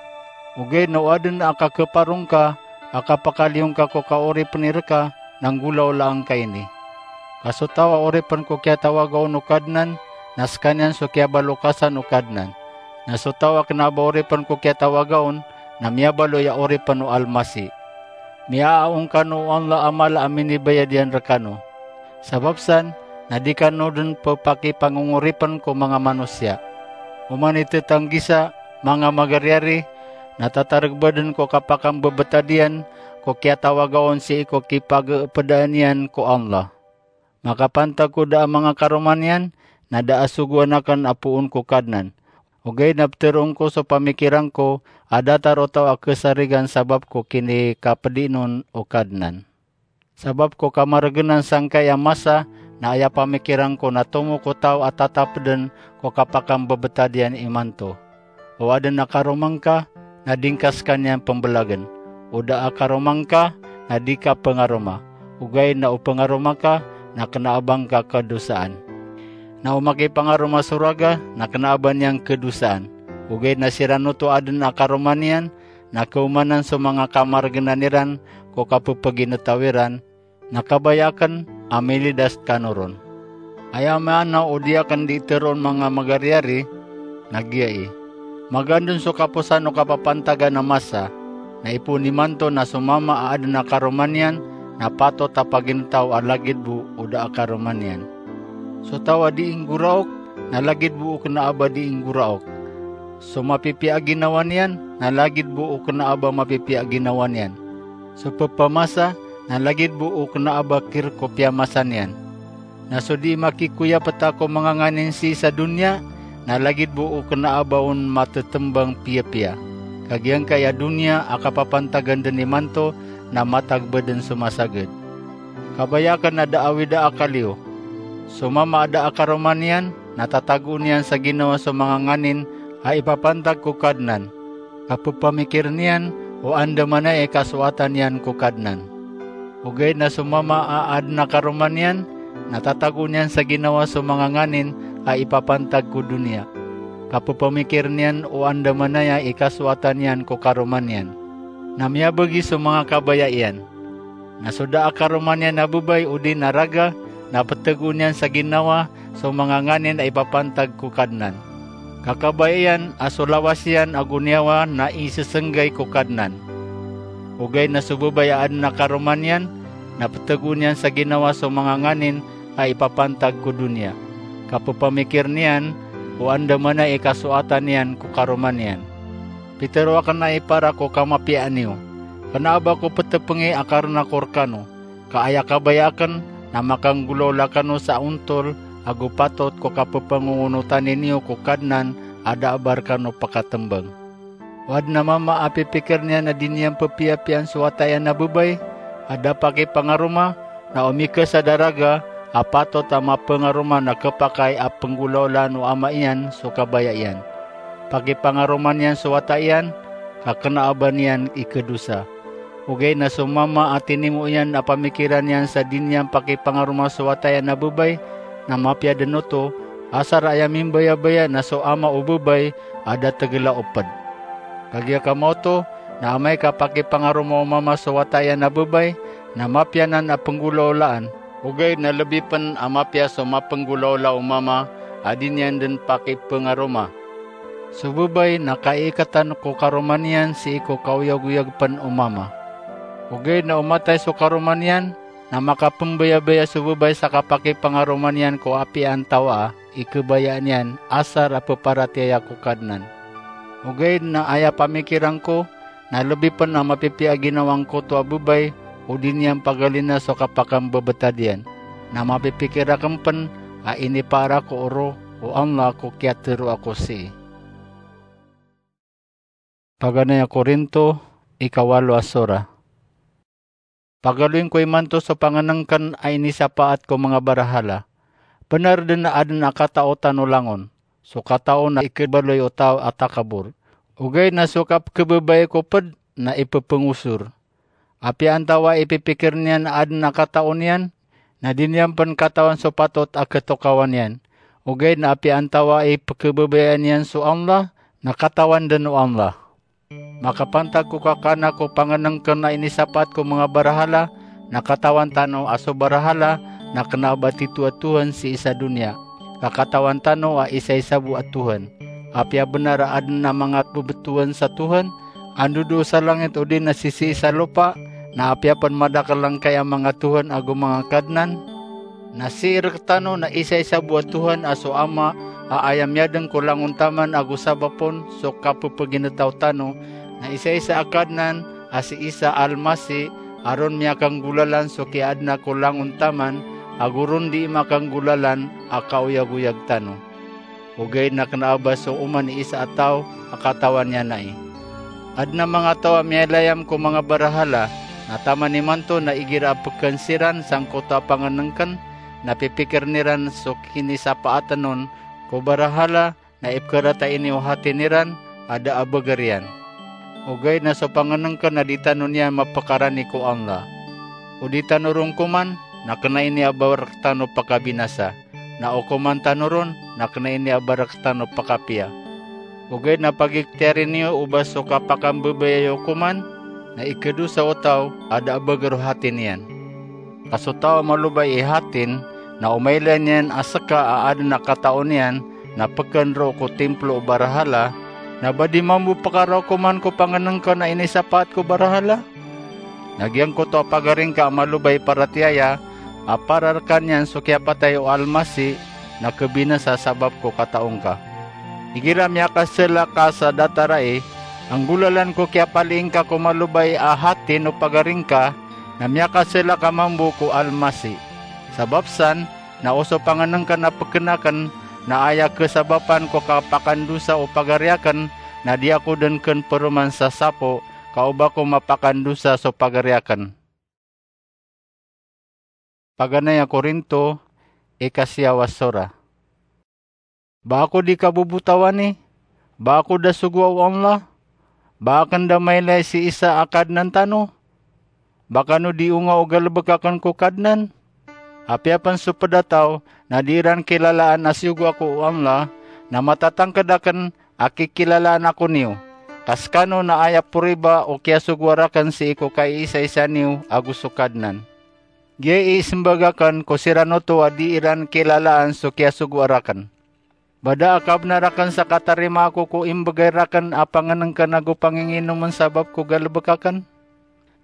Ogaid na o aden a kakeparo ngka a kapakaliyo ngka ko kaoripen i reka na nggolawlaa ngka ini. Ka so taw a oripen ko kiyatawaga on o Kadnan, na sekaniyan so kiyabalokasan o Kadnan. Na so taw a kena a ba oripen ko kiyatawaga on, na miyabaloy a oripen o Almasi. Miyaaong kano o Allah a mala a minibayad iyan rekano. Sabap san, na di kano den pepakipangongoripen ko manga manosiya. Oman i tetanggisa, manga magariyari, na tatareg bo den ko kapakambebetad iyan ko kiyatawaga on sii ko kipageepedaan iyan ko Allah. Makapantag ko da a manga karoma niyan, na da a sogoan aken a poon ko Kadnan. Ogaid na peteroon ko so pamikiran ko a datar o taw a kesarigan sabap ko kinikapedinon o Kadnan. Sabap ko kamaregenan sangkai a masa, na aya pamikiran ko na tomo ko taw a tatapeden ko kapakambebetad iyan imanto. O aden a karoma ngka, na di ngka sekaniyan pembelagen. O da a karoma ngka, na di ka pengaroma. Ogaid na o pengaroma ka, na kena a ba ngka kedosaan. Na o makipangaroma so raga, na kena a ba niyan kedosaan. Ogaid na siran oto a aden a karoma niyan, na keomanan so manga kamaregenan iran ko kapepeginetaw iran, na kabaya aken a milidas kano ron. Aya maana o di aken di teroon manga magariyari, na giya i. Magandon so kaposan o kapapantagan a masa, na ipoon imanto na so mama a aden a karoma niyan, na patot a paginetaw a lagid bo o da a karoma niyan. So taw a di inggoraok, na lagid bo o kena a ba di inggoraok. So mapipiya a ginawa niyan, na lagid bo o kena a ba mapipiya a ginawa niyan. So pepamasa, na lagid bo o kena a ba kirek o piyamasa niyan. Na so di makikoyapeta ko manga nganin sii sa doniya, na lagid bo o kena a ba on matetembang piyapiya. Ka giyangkai a doniya a kapapantagan den imanto, na matag bo den so masaged. Kabaya aken a da a wida a akal iyo. So mama a da a karoma niyan, na tatagoon iyan sa ginawa so manga nganin a ipapantag ko Kadnan. Kapepamikir niyan o andamanaya i kasoatan iyan ko Kadnan. Ogaid na so mama a aden a karoma niyan, na tatagoon iyan sa ginawa so manga nganin a ipapantag ko doniya. Kapepamikir niyan o andamanaya i kasoatan iyan ko karoma niyan. Na miyabegi so manga kabaya iyan. Na so da a karoma niyan a bebay odi na raga, na petegoon iyan sa ginawa so manga nganin a ipapantag ko Kadnan. Ka kabaya iyan a so lawas iyan ago niyawa na isesenggay ko Kadnan. Ogaid na so bebay a aden a karoma niyan, na petegoon iyan sa ginawa so manga nganin a ipapantag ko doniya. Kapepamikir niyan o andamanaya i kasoatan iyan ko karoma niyan. Pitero aken a ipara ko kamapiyaan iyo. Kena a ba ko petepengi a karena ko rekano. Ka aya kabaya aken na makanggolawla kano sa ontol ago patot ko kapepangongonotan iyo ko Kadnan a da a ba rekano pekatembang. O aden a mama a pipikir niyan a di niyan pepiyapiyaan so wata iyan a bebay a da pakipangaroma, na o mikesad a raga a patot a mapengaroma na kepakay a penggolawlaan o ama iyan so kabaya iyan. Pakipangaroma niyan so wata iyan, ka kena a ba niyan ikedosa. Ogaid na so mama a tinimo iyan a pamikiran iyan sa di niyan pakipangaroma so wata iyan a bebay, na mapiya den oto, asar a aya mimbayabaya na so ama o bebay a da tegel a oped. Kagiya kamaoto, na amay ka pakipangaroma o mama so wata iyan a bebay, na mapiya nan a penggolawlaan. Ogaid na lebi pen a mapiya so mapenggolawla o mama a di niyan den pakipengaroma. So bebay na kaiketan ko karoma niyan sii ko kaoyagoyag pen o mama. Ogaid na o matay so karoma niyan, na makapembayabaya so bebay sa kapakipangaroma niyan ko apiya antawaa i kebaya niyan asar a peparatiyaya ko Kadnan. Ogaid na aya pamikiran ko, na lebi pen a mapipiya a ginawa ngkoto a bebay o di niyan pagalina so kapakambebetad iyan, na mapipikir aken pen a inipaar ako oro o Allah ko kiyatero ako sii. Paganay a Korinto, ikawalo a sora. Pagaloyn ko imanto so pangnngkn a inisapaat ko manga barahala. Bnar dn a adn a katao tano langon, so katao na ikhabaloy o taw a takabor. Ogaid na so kapkhababayai ko pd na ipphngosor. Apiya antawaa i pipikir niyan a adn a katao niyan, na di niyan pn katawan so patot a khatokawan iyan. Ogaid na apiya antawaa i pkhababayaan iyan so Allah, na katawan dn o Allah. Makapantag ko kakana ko pangnngkn a inisapaat ko manga barahala, na katawan tano a so barahala na kna a ba tito a tohan sii sa doniya, ka katawan tano a isaisa bo a Tohan. Apiya bnar a adn a manga bbtowan sa Tohan, anda dn sa langit odi na sisii sa lopa, na apiya pn madakl angkai a manga tohan ago manga kadnan, na sii rktano na isaisa bo a Tohan a so Ama a aya miyadn ko langon taman ago sabap on so kapphgintaw tano, na isaisa a Kadnan a si Isa Almasi, a ron miyakanggolalan so kiyaadna ko langon taman ago ron dii makanggolalan a kaoyagoyag tano. Ogaid na kna a ba so oman i isa a taw a katawan iyan ai. Adn a manga taw a miyailayam ko manga barahala, na taman imanto na igira a pkhan siran sangkoto a pangnngkn, na pipikirn iran so kinisapaatn on ko barahala, na ipkharata ini o hati niran a da a bagr iyan. Ogaid na so pangnngkn na di tano niyan mapkarani ko Allah. O di tano ron koman, na kna ini a ba rktano pakabinasa. Na o koman tano ron, na kna ini a ba rktano pakapiya. Ogaid na pagikhtiyari niyo o ba so kapakambabaya iyo koman, na ikhadosa o taw a da a bagr o hati niyan. Ka so taw a malobay i hatin, na o mailay niyan a ska a adn a katao niyan, na pkhan roo ko timplo o barahala, na ba di mambo pkaraw koman ko pangnngkn a inisapaat ko barahala? Na giyangkoto a pagaring ka a malobay paratiyaya, a para rkaniyan so kiyapatay o Almasi, na khabinasa sabap ko katao ngka. Igira miyakasla ka sa datar ai, anggolalan ko kiyapalii ngka ko malobay a hatin o pagaring ka, na miyakasla ka mambo ko Almasi. Sabap san, na o so pangnngkn a pkhan akn, na aya khasabapan ko kapakandosa o pagari akn, na di ako dn khan paroman sa sapo, ka o ba ko mapakandosa so pagari akn. Paganay a Korinto, ikasiyaw a sora. Ba ako di kabobotawani? Ba ako da sogoa o Allah? Ba akn da mailay si Isa a Kadnan tano? Ba kano di onga o galbk akn ko Kadnan? Apiya pn so pd a taw na di iran kilalaan a siyogo ako o Allah, na matatangkd akn a kikilalaan ako niyo. Ka skano na aya poriba o kiyasogoa rakn sii ko kaiisaisa niyo ago so Kadnan. Giya i ismbag akn ko siran oto a di iran kilalaan so kiyasogoa rakn. Ba da a kabnar akn sa katarima ako ko imbgay rakn a pangnngkn ago panginginomn sabap ko galbk akn?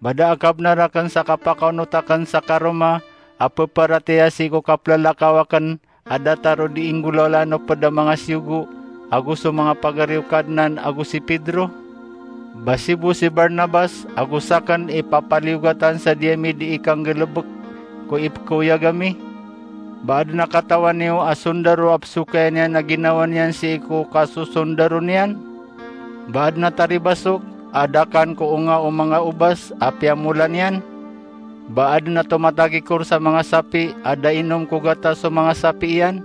Ba da a kabnar akn sa kapakaonot akn sa karoma a pparatiyaya sii ko kaplalakaw akn a datar o di inggolalan o pd a manga siyogo ago so manga pagari o Kadnan ago si Pedro? Ba sibo si Barnabas ago sakn i papaliyogatan sa di ami di ikanggalbk ko ipkhaoyag ami? Ba adn a katawan iyo a sondaro a pzokaya niyan a ginawa niyan sii ko kasosondaro niyan? Ba adn a taribasok a da kan ko onga o manga obas a piyamola niyan? Ba adn a tomatagikor sa manga sapi a da inom ko gatas o manga sapi iyan?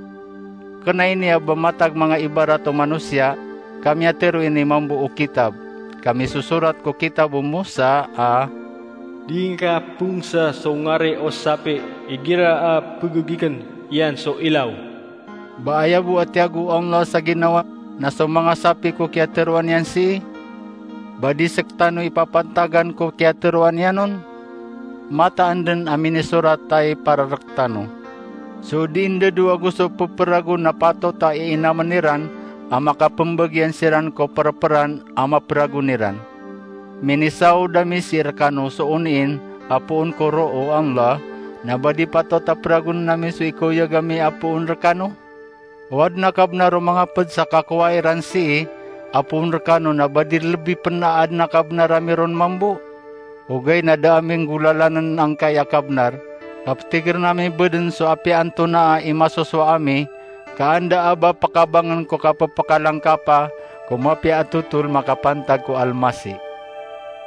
Kna ini a ba matag manga ibarat o manosiya, ka miyatharo ini mambo o kitab, ka misosorat ko kitab o Mosa a, "Di ngka pongsa so ngari o sapi igira a pgogikn iyan so ilaw." Ba aya bo a tiyago o Allah sa ginawa na so manga sapi ko kiyatharoa niyan sii? Ba di sktano ipapantagan ko kiyatharoa niyan on? Mataan dn a minisorat ai para rktano. So di ndado ago so pphragon na patot a iinamn iran a makapmbagian siran ko prpran a mapragon iran. Minisaod ami sii rkano so oniin a poon ko roo o Allah, na ba di patot a pragon ami so ikaoyag ami a poon rkano? O adn a kabnar o manga pd sa kakowa iran sii a poon rkano na ba di lbi pn a adn a kabnar ami ron mambo? Ogaid na da ami nggolalann angkai a kabnar, ka ptigrn ami bo dn so apiya antonaa i masosowa ami, ka anda a ba pkabangn ko kapphkalangkapa ko mapiya a totol makapantag ko Almasi.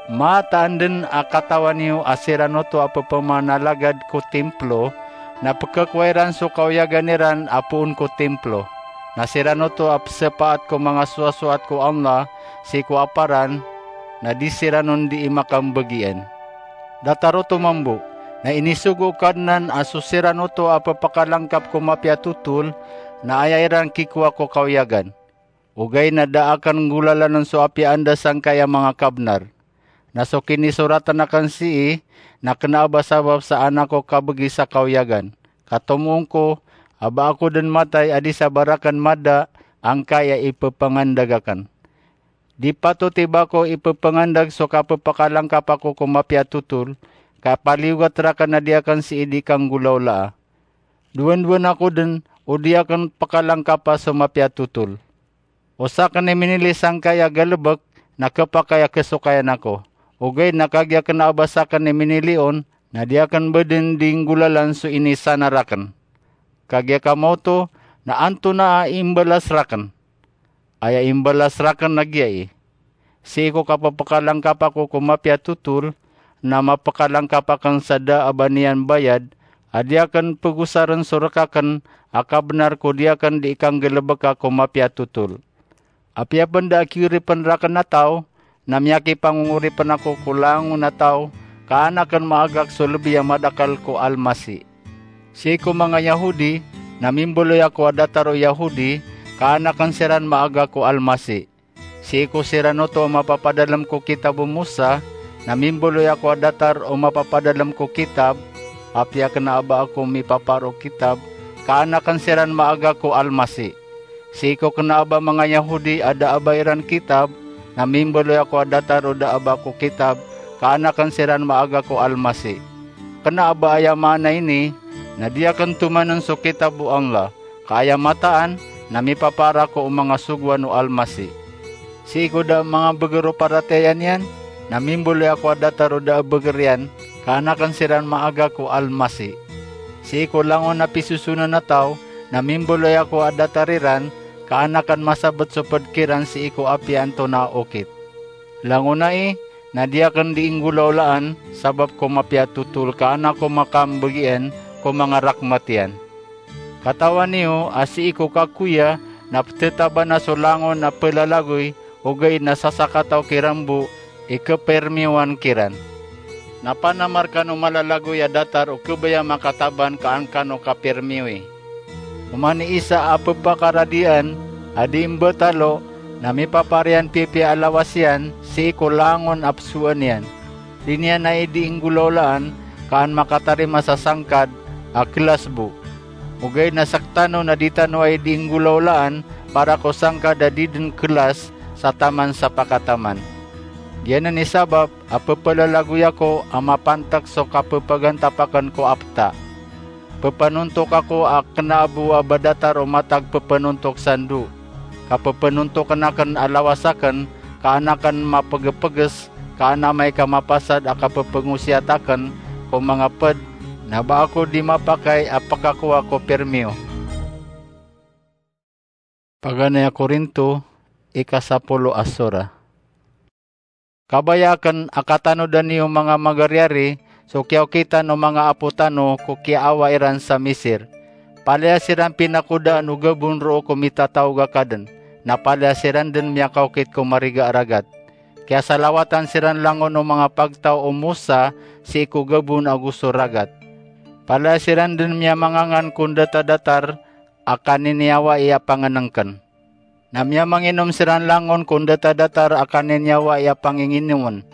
Mataan den a katawan iyo a siran oto a pepemanalagad ko timplo, na pekekowa iran so kaoyagan iran a poon ko timplo. Na siran oto a pesepaat ko manga soasoat ko Allah sii ko aparan, na di siran on dii makambegien. Datar oto mambo, na inisogo o Kadnan a so siran oto a pepakalangkap ko mapiya a totol, na aya iran kikowa ko kaoyagan. Ogaid na da aken nggolalanen so apiya anda sangkai a manga kabnar. Na so kinisoratan aken sii, na kena a ba sabap sa an ako kabegi sa kaoyagan. Ka tomoong ko, a ba ako den matay a di sa ba raken mada, angkai a ipepengandag aken. Di patot i ba ako ipepengandag so kapepakalangkap ako ko mapiya a totol, ka paliyogat raken a di aken sii di kanggolawlaa. Dowandowan ako den o di aken pekalangkapa so mapiya a totol. O saken i minili sangkai a galebek, na kepakay a kesokayan ako. Ogaid na kagiya kena a ba saken i minili on, na di aken ba den di nggolalan so inisanar aken. Kagiya kamaoto, na antonaa i imbalas raken? Aya imbalas raken na giya i: Sii ko kapepakalangkap ako ko mapiya a totol, na mapekalangkap aken sa da a ba niyan bayad, a di aken pegosaren so rek aken a kabnar ko di aken di ikanggalebeka ko mapiya a totol. Apiya pen da a kioripen raken a taw, na miyakipangongoripen ako ko langon a taw, ka an aken maagak so lebi a madakel ko Almasi. Sii ko manga Yahodi, na mimbaloy ako a datar o Yahodi, ka an aken siran maagak ko Almasi. Sii ko siran oto a mapapadalem ko kitab o Mosa, na mimbaloy ako a datar o mapapadalem ko kitab, apiya kena a ba ako mipapaar o kitab, ka an aken siran maagak ko Almasi. Sii ko kena a ba manga Yahodi a da a ba iran kitab, na mimbaloy ako a datar o da a ba ko kitab, ka an aken siran maagak ko Almasi. Kena a ba aya maana ini, na di aken tomanen so kitab o Allah, ka aya mataan, na mipapaar ako o manga sogoan o Almasi. Sii ko da a manga beger o paratiyaya niyan, na mimbaloy ako a datar o da a beger iyan, ka an aken siran maagak ko Almasi. Sii ko langon a pisosonan a taw, na mimbaloy ako a datar iran, ka an aken masabet so ped kiran sii ko apiya antonaa a okit. Langon ai, na di aken di inggolawlaan, sabap ko mapiya a totol ka an ako makambegien ko manga rakmat iyan. Katawan iyo a sii ko kakoya na petetaban a so langon a pelalagoy, ogaid na sasakataw kiran bo i kepermiyowan kiran. Na panamar kano malalagoy a datar o kebaya makataban ka an kano kapermiyowi. Oman i isa a pepakaradian a di imbetalo, na mipapaar iyan piyapiya a lawas iyan sii ko langon a pesoan iyan. Di niyan ai di inggolawlaan ka an makatarima sa sangkad a kelas bo. Ogaid na sektano na di tano ai di inggolawlaan para ko sangkad a di den kelas sa taman sa pakataman. Giyanan i sabap a pepelalagoy ako a mapantek so kapepagantap aken ko apta. Pepenontok ako a kena a bo a ba datar o matag pepenontok sando. Kapepenontoken aken a lawas aken, ka an aken mapegepeges, ka an amay ka mapasad a kapepengosiyat aken ko manga ped, na ba ako di mapakay a pekakowa ko permiyo. Paganay a Korinto, ikasapolo a sora. Kabaya aken a katanodan iyo manga magariyari so kiyaokitan o manga apo tano ko kiyaawa iran sa Misir. Palaya siran pinakodaan o gabon roo ko mitataog a kaden, na palaya siran den miyakaokit ko mariga a ragat. Kiyasalawatan siran langon o manga pagtaw o Mosa sii ko gabon ago so ragat. Palaya siran den miyamangangan ko ndatadatar a kaniniyawai a pangenengken. Na miyamanginom siran langon ko ndatadatar a kaniniyawai a panginginomen.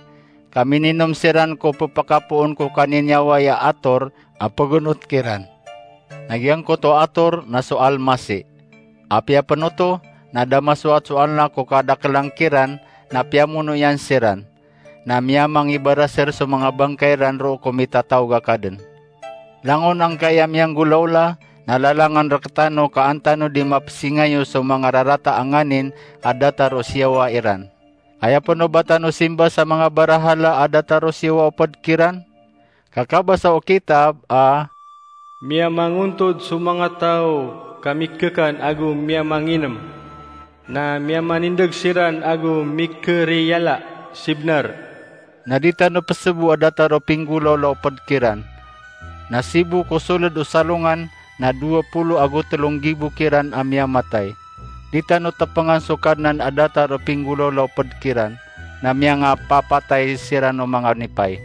Ka mininom siran ko pepakapoon ko kaniniyawai a ator a pegenot kiran. Na giyangkoto a ator na so Almasi. Apiya pen oto, na da masoat so Allah ko kadakelan kiran, na piyamono iyan siran. Na miyamangibaraser so manga bangkay ran roo ko mitataog a kaden. Langon angkaya miyanggolawla, na lalangan rektano ka an tano di mapesingayo so manga rarata a nganin a datar o siyawa iran. Aya pen o ba tano simba sa manga barahala a datar o siyawa o ped kiran? Ka kabasa o kitab a, "Miyamangontod so manga taw ka mikekan ago miyamanginem, na miyamanindeg siran ago mikeriyala, sii bnar. Na di tano pesebo a datar o pinggolawla o ped kiran. Na sibo ko soled o salongan na dowa polo ago telo nggibo kiran a miyamatay. Di tano tepengan so Kadnan a datar o pinggolawla o ped kiran, na miyangapapatay siran o manga nipay.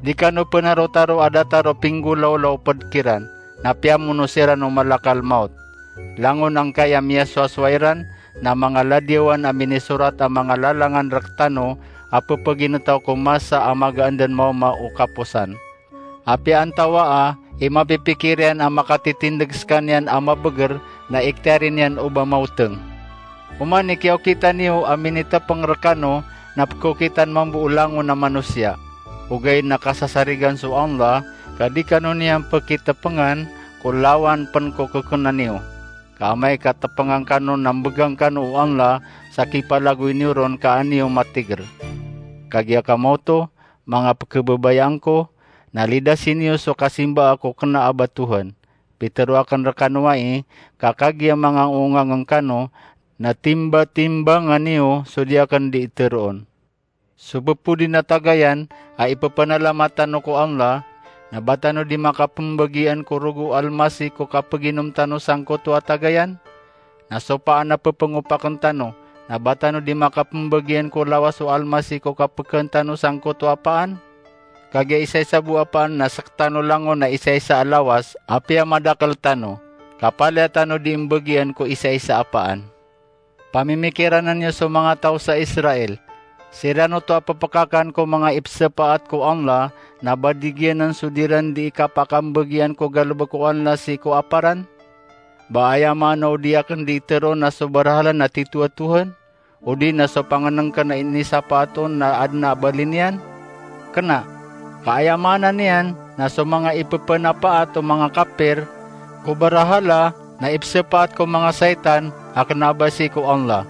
Di kano penarotaro a datar o pinggolawla o ped kiran, na piyamono siran o malakal mawt. Langon angkaya miyasowasowa iran na manga ladiyawan a minisorat a manga lalangan rektano a pepeginetaw ko masa a magaan den maoma o kaposan. Apiya antawaa i mapipikir iyan a makatitindeg sekaniyan a mabeger na iktiyari niyan o ba mawteng. Oman i kiyaokita niyo a minitepeng rekano na pekokitan mambo o langon a manosiya. Ogaid na kasasarigan so Allah ka di kano niyan pekitepengan ko lawan pen ko kekena niyo. Ka amay ka tepengan kano na mbegang kano o Allah sa kipalagoy niyo ron ka an iyo matiger. Kagiya kamaoto, manga pekebabayaan ko, na lidasi niyo so kasimbaa ko kena a ba Tohan. Pitero aken rekano ai, ka kagiya manga ongangen kano, na timbatimbangan iyo so di aken di iteroon. So bepodi na tagayan a ipepenalamat tano ko Allah, na ba tano di makapembagian ko rogo o Almasih ko kapeginom tano sangkoto a tagayan? Na so paan a pepengopaken tano, na ba tano di makapembagian ko lawas o Almasih ko kapekeen tano sangkoto a paan? Kagiya isaisa bo a paan na sektano langon a isaisa a lawas, apiya madakel tano, ka palaya tano di mbagian ko isaisa a paan. Pamimikiranan iyo so manga taw sa Israel. Siran oto a pepekakan ko manga ipsepaat ko Allah, na ba di giyanan so di ran di ikapakambagi iyan ko galebek o Allah sii ko aparan? Ba aya maana o di aken di iteroon na so barahala na tito a Tohan, odi na so pangenengken a inisapaat on na aden a bali niyan? Kena, ka aya maana niyan na so manga ipepenapaat o manga kapir ko barahala na ipsepaat ko manga saitan a kena a ba sii ko Allah.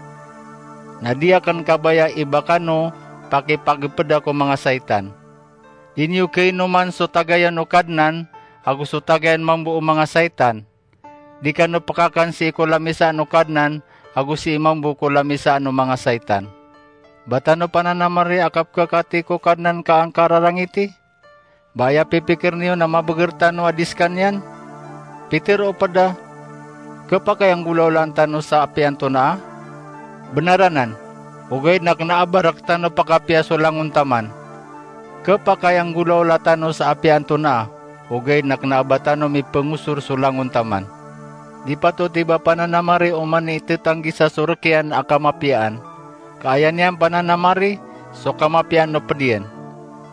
Na di aken kabaya i ba kano pakipagepeda ko manga saitan. Di niyo keinoman so tagayan o Kadnan ago so tagayan mambo o manga saitan. Di kano pekakan sii ko lamisaan o Kadnan ago sii mambo ko lamisaan o manga saitan. Ba tano pananamari a kapekakati ko Kadnan ka angka rarangiti? Ba aya pipikir niyo na mabeger tano a di sekaniyan? Pitero o ped a, kepakay a nggolawlaan tano sa apiya antonaa? Benar anan, ogaid na kena a ba rektano pekapiya so langon taman. Kepakay a nggolawla tano sa apiya antonaa, ogaid na kena a ba tano mipengosor so langon taman. Di patot i ba pananamari oman i tetanggisa so rek iyan a kamapiyaan, ka aya niyan pananamari so kamapiyaan o ped iyan.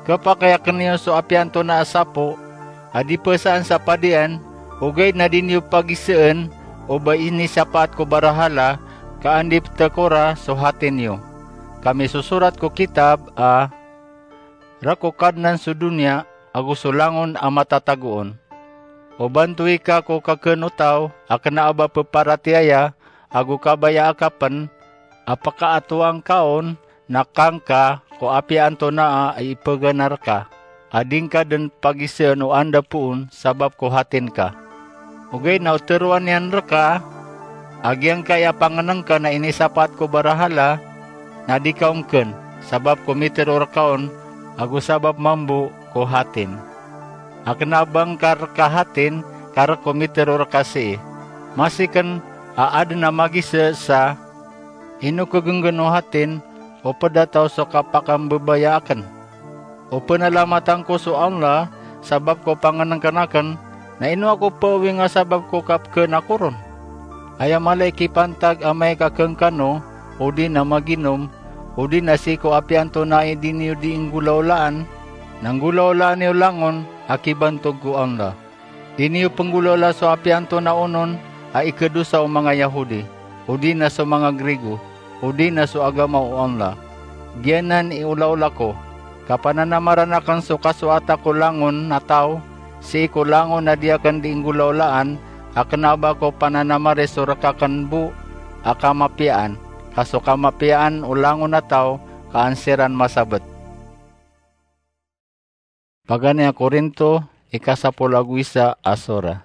Kepakay aken iyo so apiya antonaa a sapo a di pesaan sa padian, ogaid na di niyo pagiseen o ba inisapaat ko barahala ka an di petekora so hati niyo. Ka misosorat ko kitab a, rek o Kadnan so doniya ago so langon a matatago on. O bantoy ka ko kakeen o taw a kena a ba peparatiyaya ago kabaya a kapen a pekaatowan ka on na kangka ko apiya antonaa a ipegana reka, a di ngka den pagiseen o anda poon sabap ko hatin ka. Ogaid na o teroan iyan reka a giyangkaya pangenengken a inisapaat ko barahala na di ka ongken sabap ko mitero reka on ago sabap mambo ko hatin. A kena a ba ngka reka hatin ka rek ko mitero reka sii. Masiken a aden a magise sa ino kegenggen o hatin o ped a taw so kapakambebaya aken. O penalamatan ko so Allah sabap ko pangenengken aken, na ino ako peowinga sabap ko kapekeen ako ron? Aya mala i kipantag amay ka kengkano, odi na maginom, odi na sii ko apiya antonaa i di niyo di nggolawlaan, na nggolawlaan iyo langon a kibantog ko Allah. Di niyo penggolawla so apiya antonaa onon a ikedosa o manga Yahodi, odi na so manga Grigo, odi na so agama o Allah. Giyanan i olaola ko, ka pananamaran aken so kasoata ko langon a taw sii ko langon a di aken di nggolawlaan, a kena a ba ko pananamari so rek aken bo a kamapiyaan, ka so kamapiyaan o langon a taw ka an siran masabet. Paganay a Korinto, ikasapolo ago isa a sora.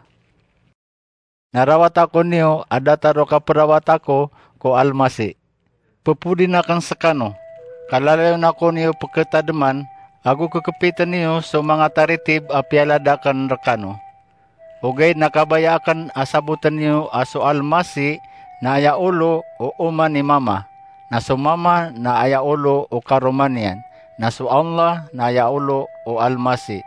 Na rawata ko niyo a datar o kaperawata ko ko Almasih. Pepodin aken sekano, kalalayon ako niyo pkhatadman, ago kkpitn iyo so manga taritib a piyalad akn rkano. Ogaid na kabaya akn a sabotn iyo a so Almasih na aya olo o oman i Mama, na so Mama na aya olo o karoma niyan, na so Allah na aya olo o Almasih.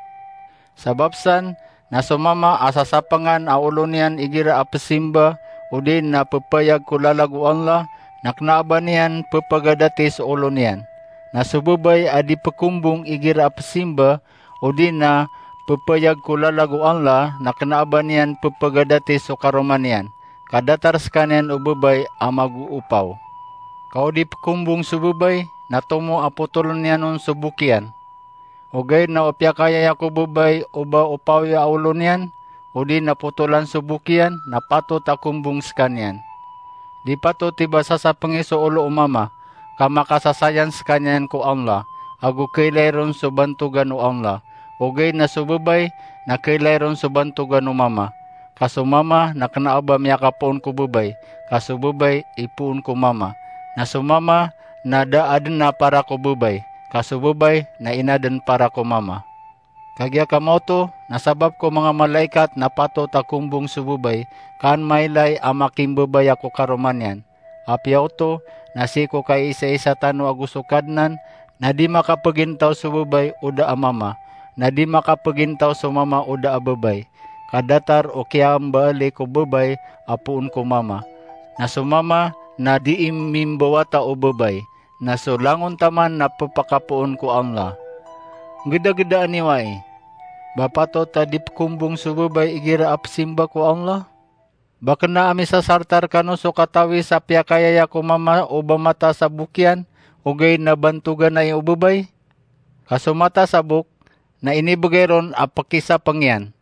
Sabap san, na so Mama a sasapangan a olo niyan igira a pzimba odi na pphayag ko lalag o Allah, na kna a ba niyan pphagadathi so olo niyan. Na so babay a di pkombong igira a pzimba odi na pphayag ko lalag o Allah, na kna a ba niyan pphagadathi so karoma niyan, ka datar skaniyan o babay a magoopaw. Ka o di pkombong so babay, na tomo a potoln iyan on so bok iyan. Ogaid na o piyakayaya ko babay o ba opawi a olo niyan, odi na potolan so bok iyan, na patot a kombong skaniyan. Di patot i ba sasapngi so olo o Mama, ka makasasayan skaniyan ko Allah, ago kailay ron so bantogan o Allah. Ogaid na so babay na kailay ron so bantogan o Mama, ka so Mama na kna a ba miyakapoon ko babay, ka so babay ipoon ko Mama, na so Mama na da adn a para ko babay, ka so babay na inadn para ko Mama. Kagiya kamaoto, na sabap ko manga malaikat na patot a kombong so babay, ka an mailay a makimbabaya ko karoma niyan. Apiya oto, na sii ko kaisaisa tano ago so Kadnan, na di makapagintaw so babay o da a mama, na di makapagintaw so mama o da a babay. Ka datar o kiyambaali ko babay a poon ko mama, na so mama na dii mimbawata o babay, na so langon taman na pphakapoon ko Allah. Nggdagdaan iyo ai, ba patot a di pkombong so babay igira a pzimba ko Allah? Ba kna a misasarta rkano so katawi sa piyakayaya ko mama o ba mataas a bok iyan, ogaid na bantogan ai o babay? Ka so mataas a bok na inibgay ron a pkisapng iyan.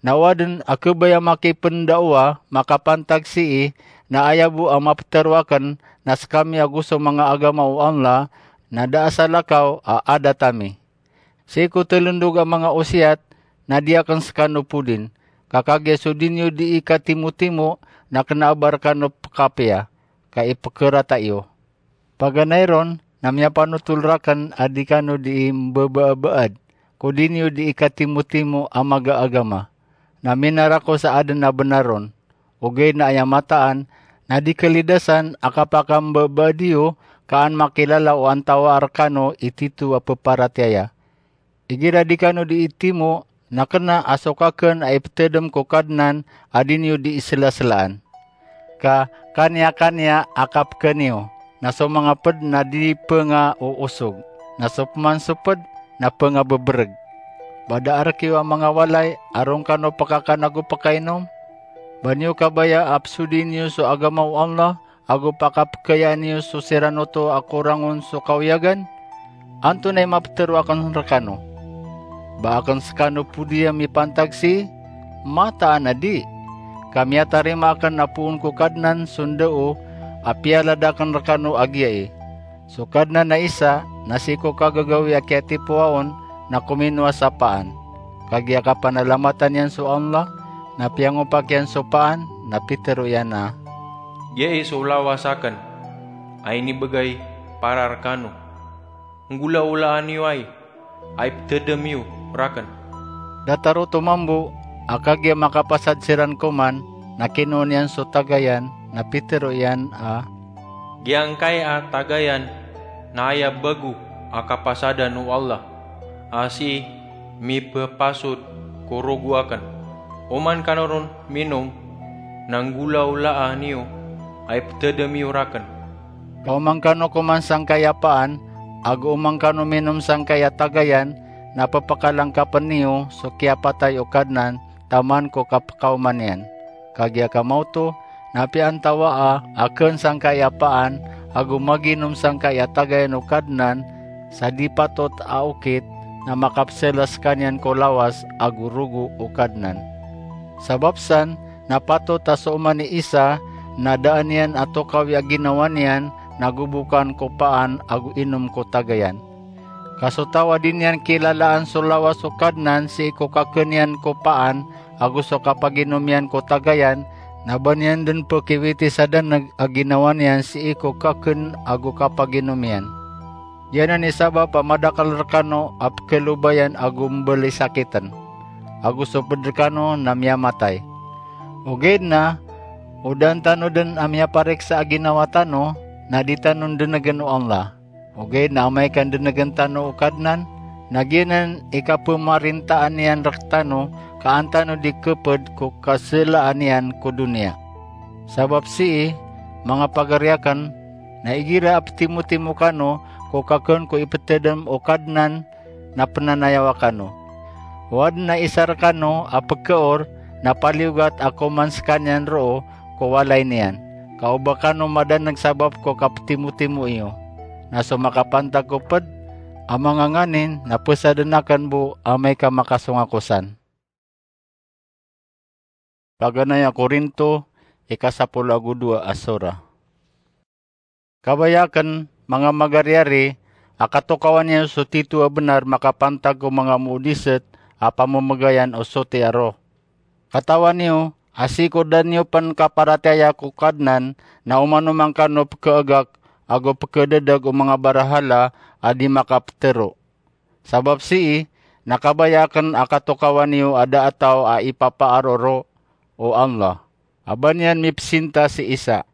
Na o adn a khabaya makipndaawa makapantag sii, na aya bo a maptharo akn na skami ago so manga agama o Allah na da a salakaw a adat ami. Sii ko tlndog a manga osiyat na di akn skano podin, ka kagiya so di niyo dii katimotimo na kna a ba rkano pkapiya, ka ipkhrata iyo. Paganay ron na miyapanotol rakn a di kano dii mbabaabaad ko di niyo dii katimotimo a maga a agama. Na minar ako sa adn a bnar ron, ogaid na aya mataan na di kalidasan a kapakambabaad iyo, ka an makilala o antawaa rkano i tito a pparatiyaya. Igira di kano dii timo, na kna a so kakn a iptdm ko Kadnan a di niyo dii slaslaan. Ka kaniyakaniya a kapkn iyo, na so manga pd na di pngaoosog, na so pman so pd na pngabbbrg. Ba da a rk iyo a manga walay a ron kano pkakan ago pkainom? Ba niyo kabaya a psodii niyo so agama o Allah ago pakapkayaan iyo so siran oto a korang on so kawiyagan? Antonaa i maptharo akn rkano? Ba akn skano podi a mipantag sii? Mataan a di! Ka miyatarima akn a poon ko Kadnan so ndao a piyalad akn rkano a giyai. So Kadnan a isa na sii ko kagagawii a kiyatipowa on na kominowa sa paan. Kagiya kapanalamatan iyan so Allah, na piyangopak iyan so paan, na pitharo iyan a, "Giyai so lawas akn a inibgay para rkano. Nggolaolaan iyo ai a iptdm iyo rakn." Datar oto mambo a kagiya makapasad siran koman, na kinowa niyan so tagayan, na pitharo iyan a, "Giyangkai a tagayan na aya bago a kapasadan o Allah a sii mipphasod ko rogo akn. Oman kano ron minom, na nggolaolaan iyo a iptdm iyo rakn." Ka oman kano koman sangkai a paan, ago oman kano minom sangkai a tagayan, na pphakalangkapn iyo so kiyapatay o Kadnan taman ko kapkaoma niyan. Kagiya kamaoto, na piyaantawaa a kn sangkai a paan ago maginom sangkai a tagayan o Kadnan sa di patot a okit, na makapsla skaniyan ko lawas ago rogo o Kadnan. Sabap san, na patot a so oman i isa na daan iyan a tokawi a ginawa niyan na gobokan ko paan ago inom ko tagayan. Ka so taw a di niyan kilalaan so lawas o Kadnan sii ko kakn iyan ko paan ago so kapaginom iyan ko tagayan, na ba niyan dn pkiwiti sa daneg a ginawa niyan sii ko kakn ago kapaginom iyan. Giyanan i sabap a madakl rkano a pklobayan ago mbalisakitn, ago so pd rkano na miyamatay. Ogaid na, o daan tano dn a miyapariksa a ginawa tano, na di tano ndnegn o Allah. Ogaid na amay ka ndnegn tano o Kadnan, na giyanan i kapmarintaan iyan rktano ka an tano di khapd ko kasalaan iyan ko doniya. Sabap sii, manga pagari akn, na igira a ptimotimo kano ko kakn ko iptadm o Kadnan na pnanayawa kano. O adn a isa rkano a pkaor na paliyogat a koman skaniyan roo ko walay niyan, ka o ba kano madaneg sabap ko kaptimotimo iyo. Na so makapantag ko pd a manga nganin na psadn akn bo amay ka makasong ako san. Paganay a Korinto, ika sapolo ago dowa a sura. Kabaya akn, manga magariari, a katokawan iyo so tito a bnar makapantag ko manga moodisat a pamamagayan o soti a roh. Katawan iyo a sii ko da niyo pn kaparatiyaya ko Kadnan na oman-oman kano pkhaagak ago pkhadadag o manga barahala a di makaptharo. Sabap sii, na kabaya akn a katokawan iyo a da a taw a ipapaar o roh o Allah, a ba niyan mipsinta si isa.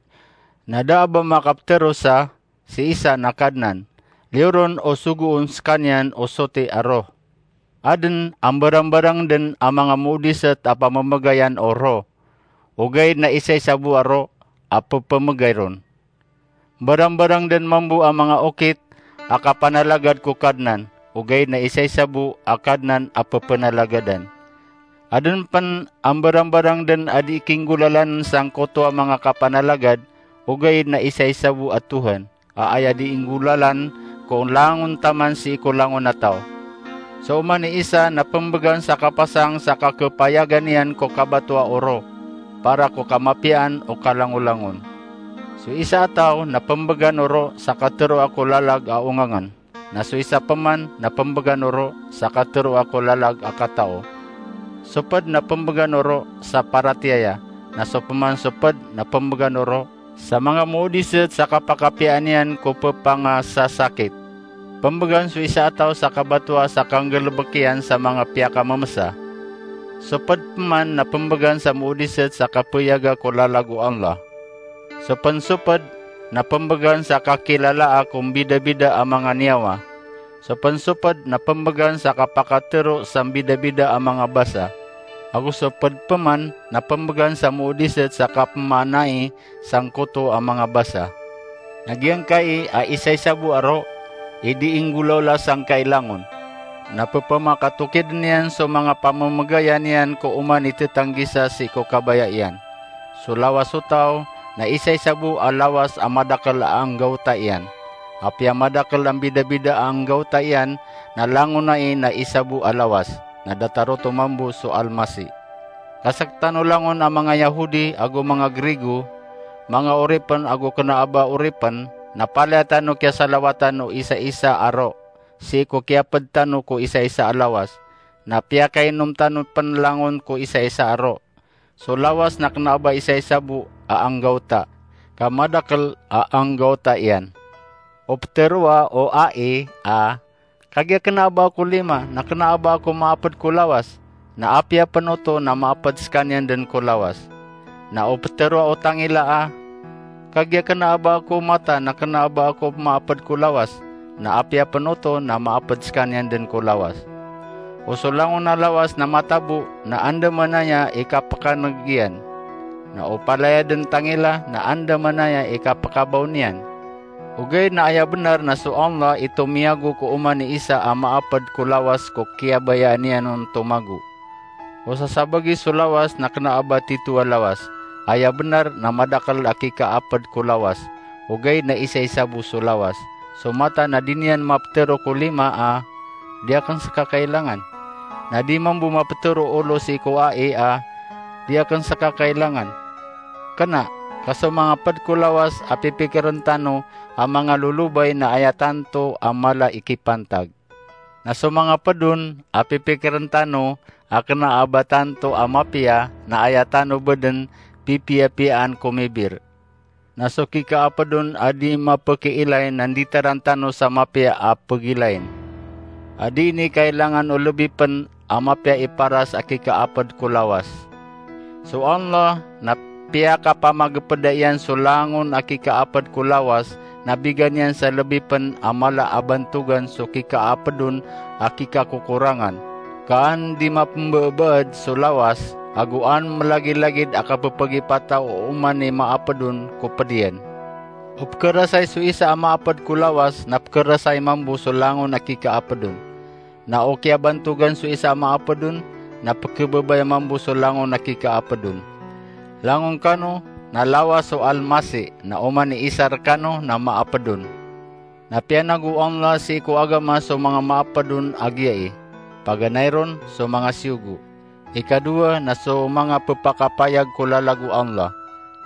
Na da a ba makaptharo sa si isa na Kadnan, liyo ron o sogoon skaniyan o soti a roh. Adn a mbarangbarang dn a manga moodisat a pamamagayan o roh, ogaid na isaisa bo a roh a pphamagay ron. Mbarangbarang dn mambo a manga okit a kapanalagad ko Kadnan, ogaid na isaisa bo a Kadnan a pphanalagadan. Adn pn a mbarangbarang dn a di kinggolalan sangkoto a manga kapanalagad, ogaid na isaisa bo a Tuhan a aya di inggolalan ko langon taman sii ko langon a taw. So oman i isa na pmbgan sa kapasang sa kakhapayagan iyan ko kabatoa o roh, para ko kamapiyaan o kalangolangon. So isa a taw na pmbgan o roh sa katharoa ko lalag a ongangn, na so isa pman na pmbgan o roh sa katharoa ko lalag a katao. So pd na pmbgan o roh sa paratiyaya, na so pman so pd na pmbgan o roh sa manga moodisat sa kapakapiya niyan ko ppangasasakit. Pmbgan so isa a taw sa kabatoa sa kanggalbk iyan sa manga piyakammsa. So pd pman na pmbgan sa moodisat sa kapayaga ko lalag o Allah. So pn so pd na pmbgan sa kakilalaa ko mbidabida a manga niyawa. So pn so pd na pmbgan sa kapakatharo sa mbidabida a manga basa. Ago so pd pman na pmbgan sa moodisat sa kapmaanai sangkoto a manga basa. Na giyangkai a isaisa bo a roh i di inggolaola sangkai langon, na pphamakatokid niyan so manga pamamagaya niyan ko oman i thatanggisa sii ko kabaya iyan. So lawas o taw na isaisa bo a lawas a madakl a anggawta iyan. Apiya madakl a mbidabida a anggawta iyan, na langon ai na isa bo a lawas, na datar oto mambo so Almasih. Ka sktano langon a manga Yahudi ago manga Grigo, manga oripn ago kna a ba oripn, na palaya tano kiyasalawatan o isaisa a roh sii ko kiyapd tano ko isaisa a lawas, na piyakainom tano pn langon ko isaisa a roh. So lawas na kna a ba isaisa bo a anggawta, ka madakl a anggawta iyan. O ptharoa o ai a, kagiya kna a ba ako lima na kna a ba ako maapd ko lawas, na apiya pn oto na maapd skaniyan dn ko lawas. Na o ptharoa o tangila a, kagiya kna a ba ako mata na kna a ba ako maapd ko lawas, na apiya pn oto na maapd skaniyan dn ko lawas. O so langon a lawas na mata bo na andamanaya i kapkan'g iyan, na o palaya dn tangila na andamanaya i kapkabaw niyan. Ogaid na aya bnar na so Allah i tomiyago ko oman i isa a maapd ko lawas ko kiyabayaan iyan on tomago. O sasabagi so lawas na kna a ba tito a lawas, aya bnar na madakl a kikaapd ko lawas, ogaid na isaisa bo so lawas. So mata na di niyan maptharo ko lima a, di akn ska kailangan. Na di mambo maptharo o olo sii ko ai a, di akn ska kailangan. Kna, ka so manga pd ko lawas a pipikiren tano a manga lolobay na aya tanto a mala i kipantag. Na so manga pd on a pipikiren tano a kna a ba tanto a mapiya na aya tano bdn pipiyapiyaan ko mibir. na so kikaaped on a di mapekiilay na nditaran tano sa mapiya a pegilayin. A di ini kailangan o lebi pen a mapiya i paras a kikaaped ko lawas. So Allah na piyakapamagepeda iyan so langon a kikaaped ko lawas, na bigan iyan sa lebi pen a mala a bantogan so kikaaped on a kikakokorangan. Ka an di mapembeebaed so lawas, ago an melagilagid a kapepegipata o oman i maaped on ko ped iyan. O pekerasay so isa a maaped ko lawas, na pekerasay mambo so langon a kikaaped on. Na o kiyabantogan so isa a maaped on, na pekebebaya mambo so langon a kikaaped on. Langon kano, na lawas so Almasi, na oman i isa rekano, na maaped on. Na piyanago o Allah sii ko agama so manga maaped on a giyai, paganay ron so manga siyogo. Ikadowa na so manga pepakapayag ko lalag o Allah.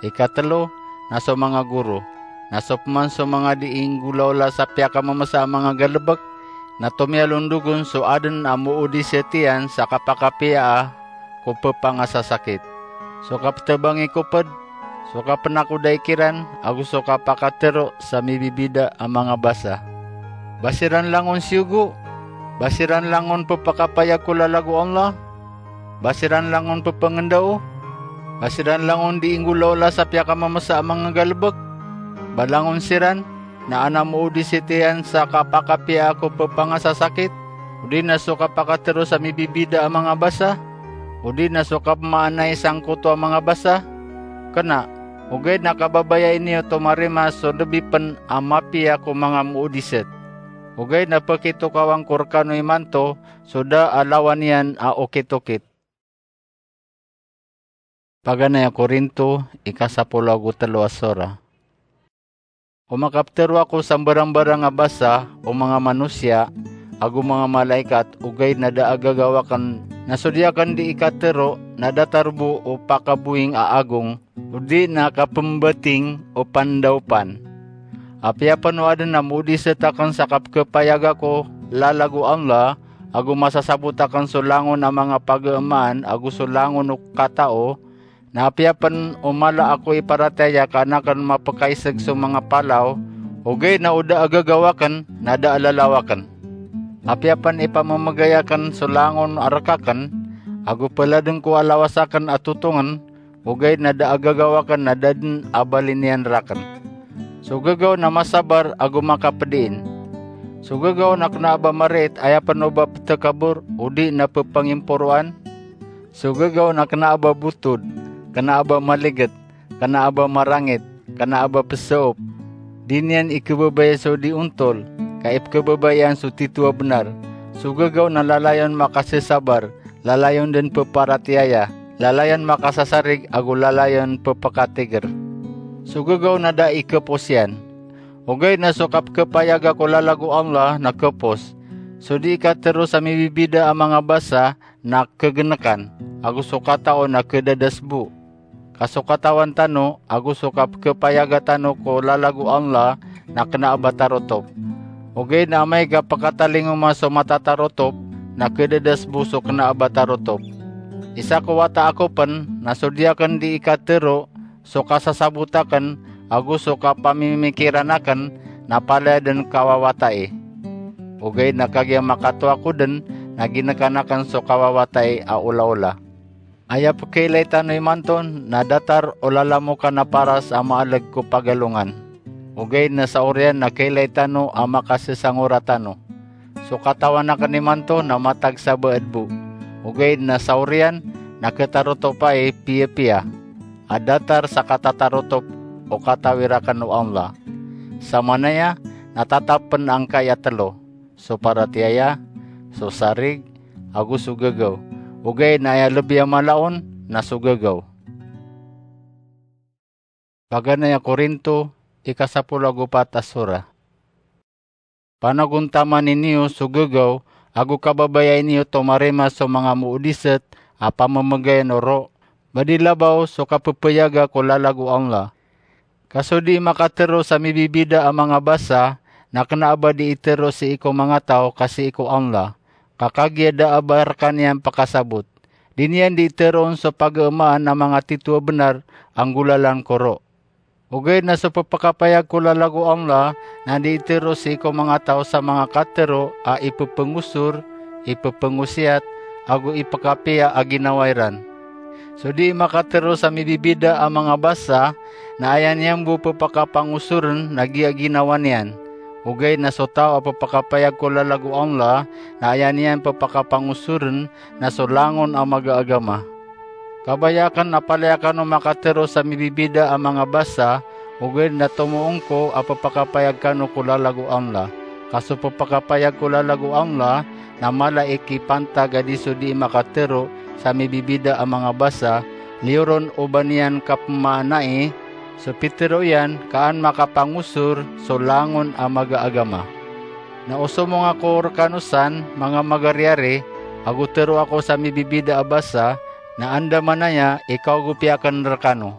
Ikatelo na so manga goro. Na so peman so manga di inggolaola sa piyakamamesa a manga galebek, na tomiyalondog on so aden a moodisat iyan sa kapakapiyaa ko pepangasasakit. So kapetebangi ko ped, so kapenakodai kiran, ago so kapakatero sa mibibida a manga basa. Ba siran langon siyogo? Ba siran langon pepakapayag ko lalag o Allah? Ba siran langon pepengendao? Ba siran langon di inggolaola sa piyakamamesa a manga galebek? Ba langon siran na ana moodisat iyan sa kapakapiyaa ko pepangasasakit, odi na so kapakatero sa mibibida a manga basa, odi na so kapemaanay sangkoto a manga basa? Kena, ogaid na kababayai niyo tomarima so lebi pen a mapiya ko manga moodisat. Ogaid na pekitokawan ko rekano imanto so da a lawan iyan a okit-okit. Paganay a Korinto, ikasapolo ago telo a sora. O makapetero ako sa mbarambarang a basa o manga manosiya ago manga malaikat, ogaid na da a gagaw aken, na so di aken di ikatero na datar bo o pakaboying a agong, odi na kapembating o pandaopan. Apiya pen o aden a moodisat aken sa kapekepayag ako lalag o Allah, ago masasabot aken so langon a manga pageemaan ago so langon o katao, na apiya pen o mala ako i paratiyaya ka an aken mapekaiseg so manga palaw, ogaid na o da a gagaw aken na da a lalaw aken. Apiya pen ipamemegay aken so langon a rek aken, ago peladeng ko a lawas aken a totongen, ogaid na da a gagaw aken na da den a bali niyan raken. So gagaw na masabar ago makapediin. So gagaw na kena a ba marait, aya pen o ba petekabor, odi na pepangimporoan. So gagaw na kena a ba botod, kena a ba maliget, kena a ba marangit, kena a ba pesaop. Di niyan ikebebaya so di ontol, ka ipekebebaya iyan so tito a benar. So gagaw na lalayon makasesabar, lalayon den peparatiyaya, lalayon makasasarig ago lalayon pepekatiger. So gagaw na da ikepos iyan. Ogaid na so kapekepayag ako lalag o Allah na kepos. So di ikatero sa mibibida a manga basa na kegenekan, ago so katao na kedadasbo. Ka so katawan tano ago so kapekepayaga tano ko lalag o Allah na kena a ba tarotop. Ogaid na amay ka pekatalingoma so matatarotop, na kedadasbo so kena a ba tarotop. Isa ko wata ako pen, na so di aken di ikatero so kasasabot aken ago so kapamimikiran aken, na palaya den kawawatai. Ogaid na kagiya makatoa ko den, na ginekan aken so kawawatai a olaola. Aya pekeilay tano imanto na datar o lalamokan a paras a maaleg ko pagalongan. Ogaid na sa oriyan na keilay tano a makasesangora tano. So katawan aken imanto na matag sa baed bo. Ogaid na sa oriyan na ketarotop ai piyapiya a datar sa katatarotop o katawir aken o Allah. Samanaya na tatap pen angkai a telo: so paratiyaya, so sarig, ago so gagaw. Ogaid na aya lebi a mala on na so gagaw. Paganay a Korinto, ikasapolo ago pat a sora. Panagontamani niyo so gagaw, ago kababayai niyo tomarima so manga moodisat a pamemegayan o ro, ba di labaw so kapepeyaga ko lalag o Allah. Ka so di makatero sa mibibida a manga basa, na kena a ba di itero sii ko manga taw ka sii ko Allah, ka kagiya da a ba rekaniyan pakasabot. Di niyan di teroon so pageemaan a manga tito a benar a nggolalan ko ro. Ogaid na so pepakapayag ko lalag o Allah na di itero sii ko manga taw sa manga katero a ipepengosor, ipepengosiyat, ago ipekapiya a ginawa iran. So dii makatero sa mibibida a manga basa na aya niyan bo pepakapangosoren na giya ginawa niyan. Ogaid na so taw a pepakapayag ko lalag o Allah na aya niyan pepakapangosoren na so langon a magaagama. Kabaya aken a palaya kano makatero sa mibibida a manga basa, ogaid na tomoong ko a pepakapayag kano ko lalag o Allah. Ka so pepakapayag ko lalag o Allah na mala i kipantag a di so dii makatero sa mibibida a manga basa, liyo ron o ba niyan kapemaanai so pitero iyan ka an makapangosor so langon a magaagama. Na osomong ako rekano san, manga magariyari, ago tero ako sa mibibida a basa, na andamanaya i kaogopi aken rekano.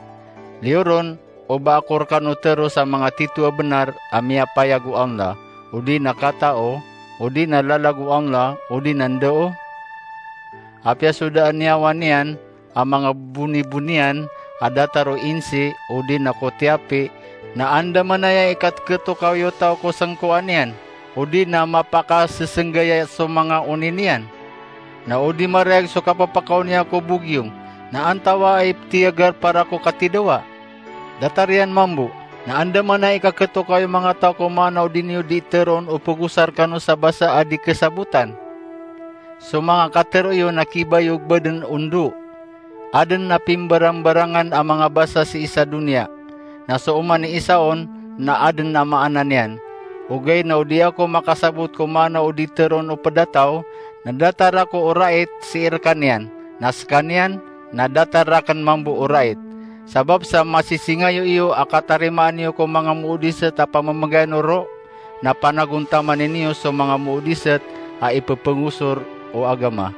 Liyo ron o ba ako rekano tero sa manga tito a benar a miyapayag o Allah, odi na katao, odi na lalag o Allah, odi na ndao? Apiya so daan iyawan iyan a manga boniboniyan a datar o insi odi na ko tiyapi, na andamanaya i kateketokawi o taw ko sengkoan iyan, odi na mapakasesenggaya so manga oni niyan? Na o di marayag so kapepakaoniya ko bogiyong, na antawaa i tiyagar para ko katidawa? Datar iyan mambo, na andamanaya i kaketokawi o manga taw ko maana o di niyo dii teroon o pegosar kano sa basa a di kesabotan. So manga katero iyo na kibayog baden o ndo. Aden a pimbarambarangan a manga basa sii sa doniya, na so oman i isa on na aden a maana niyan. Ogaid na o di ako makasabot ko maana o di teroon o pedataw, na datar ako o rait sii rekaniyan, na sekaniyan na datar raken mambo o rait. Sabap sa masisingayo iyo a katarimaan iyo ko manga moodiset a pamemegayan o ro, na panagontamani niyo so manga moodiset a ipepengosor o agama.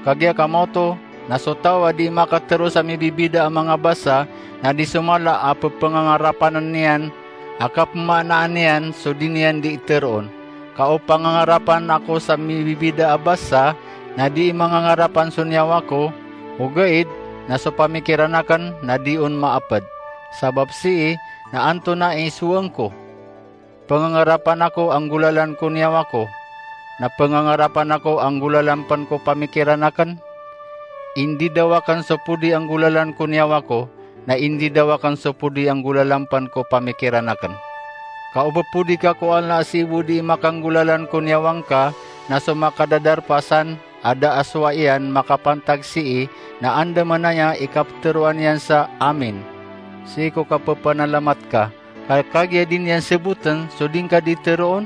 Kagiya kamaoto, na so taw a dii makatero sa mibibida a manga basa, na di so mala a pepengangarapanen iyan a kapemaanaan iyan so di niyan dii teroon. Ka o pangangarapan ako sa mibibida a basa, na dii mangangarapan so niyawa ko, ogaid na so pamikiran aken na di on maaped. Sabap sii na antonaa i sowaeng ko? Pengangarapan ako a nggolalan ko niyawa ko, na pengangarapan ako a nggolalan pen ko pamikiran aken? Indidaw aken so podi a nggolalan ko niyawa ko, na indidaw aken so podi a nggolalan pen ko pamikiran aken. Ka o pepodi ka ko Allah a sii bo dii makanggolalan ko niyawa ngka, na so makadadarpa san a da a sowai iyan makapantag sii, na andamanaya i kapeteroan iyan sa amin sii ko kapepanalamat ka. Ka kagiya di niyan seboten so di ngka dii teroon?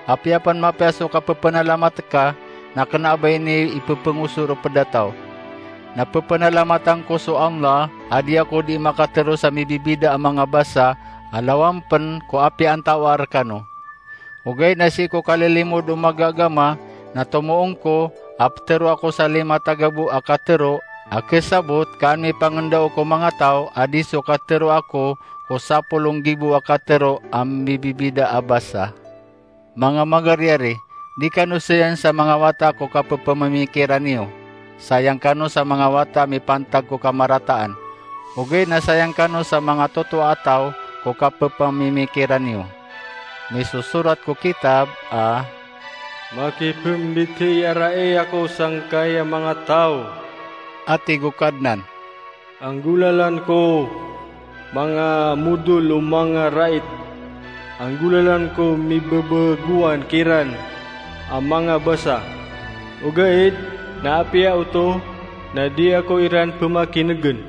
Apiya pen mapiya so kapepanalamat ka, na kena a ba ini ipepengosor o pedataw. Na pepanalamat angko so Allah a di ako dii makatero sa mibibida a manga basa a lawan pen ko apiya antawaa rekano. Ogaid na sii ko kalilimod o magaagama, na tomoong ko a petero ako sa lima tagabo a katero a kesabot ka an mipangendao ko manga taw a di so katero ako ko sapolo nggibo a katero a mibibida a basa. Manga magariyari, di kano sayan sa manga wata ko kapepamimikiran iyo. Sayang kano sa manga wata a mipantag ko kamarataan. Ogaid na sayang kano sa manga totoa a taw ko kapepamimikiran iyo. Misosorat ko kitab a, "Makipembitiyarai ako sangkai a manga taw," a tig o Kadnan. "Anggolalan ko manga modol o manga rait. Anggolalan ko mibebegowan kiran a manga basa. Ogaid na apiya oto na di ako iran pemakinegen."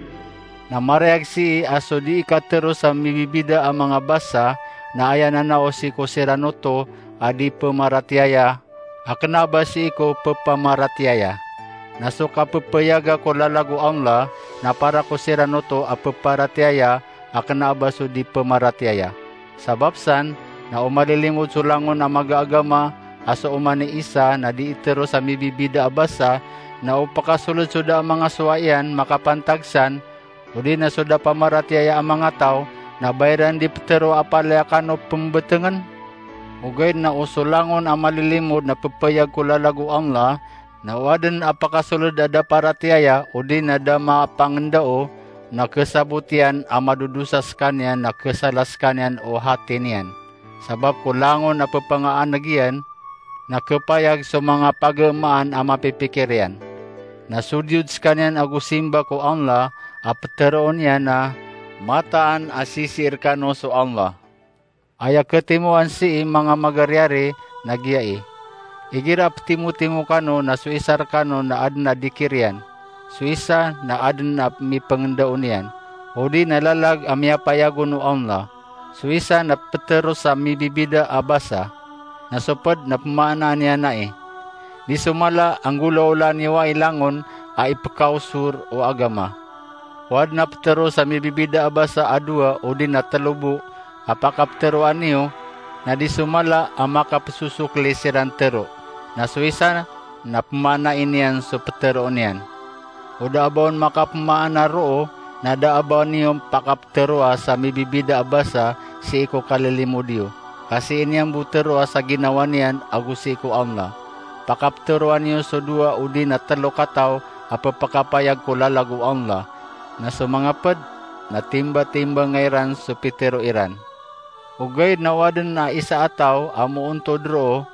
Na marayag sii a so dii katero sa mibibida a manga basa na aya nanao sii ko siran oto a di pemaratiyaya a kena a ba sii ko pepamaratiyaya. Na so kapepeyaga ko lalag o Allah na para ko siran oto a peparatiyaya a kena a ba so di pemaratiyaya. Sabap san, na o malilimod so langon a magaagama a so oman i isa na dii tero sa mibibida a basa, na o pakasoled so da a manga sowai iyan makapantag san, odi na so da pamaratiyaya a manga taw, na ba iran di petero a palaya kano pembetengen? Ogaid na o so langon a malilimod na pepayag ko lalag o Allah, na o aden a pakasoled a da paratiyaya odi na da mapangendao, na khasabot iyan a madodosa skaniyan na khasala skaniyan o hati niyan. Sabap ko langon a ppangaaneg iyan, na khapayag so manga pagamaan a mapipikir iyan. Na so diyod skaniyan ago simba ko Allah a ptharoon iyan a mataan a sisii rkano so Allah. Aya khatimoan sii manga magaryari na giya i. Igira ptimotimo kano na so isa rkano na adn a dikir iyan, so isa na adn a mipngndaon iyan, odi na lalag a miyapayag on o Allah, so isa na ptharo sa mibibida a basa, na so pd na pmaanaan iyan ai. Di so mala a nggolawlaan iyo ai langon a ipkaosor o agama. O adn a ptharo sa mibibida a basa a dowa odi na tlo bo a pakaptharoa niyo, na di so mala a makapsosokli siran tharo, na so isa na pmaanai niyan so ptharoon iyan. O da a ba on makapmaana roo, na da a ba niyo pakaptharoa sa mibibida a basa sii ko kalilimod iyo, ka sii niyan bo tharoa sa ginawa niyan ago sii ko Allah. Pakaptharoa niyo so dowa odi na tlo kataw a pphakapayag ko lalag o Allah, na so manga pd na timbatimbangan iran so pitharo iran. Ogaid na o adn a isa a taw a moontod roo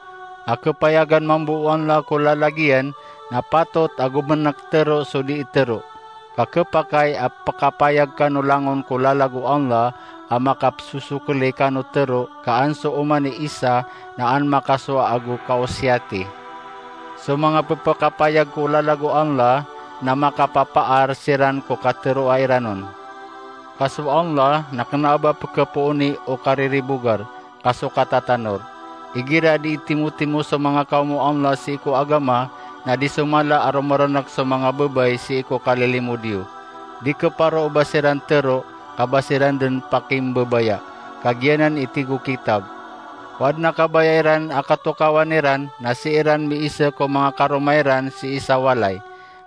a khapayagan mambo o Allah ko lalag iyan, na patot a gomnk tharo so dii tharo, ka khapakay a pkapayag kano langon ko lalag o Allah a makapsosokli kano tharo, ka an so oman i isa na an makasowa ago kaosiyati. So manga pphakapayag ko lalag o Allah na makapapaar siran ko katharoa iran on. Ka so Allah na kna a ba pkhapooni o kariribogar, ka so katatanor. Igira dii timotimo so manga kawm o Allah sii ko agama, na di so mala a romrnk so manga babay sii ko kalilimod iyo. Di khaparo o ba siran tharo, ka ba siran dn pakimbabaya, ka giyanan i tig o kitab. O adn a kabaya iran a katokawan iran, na sii ran miisa ko manga karoma iran sii sa walay.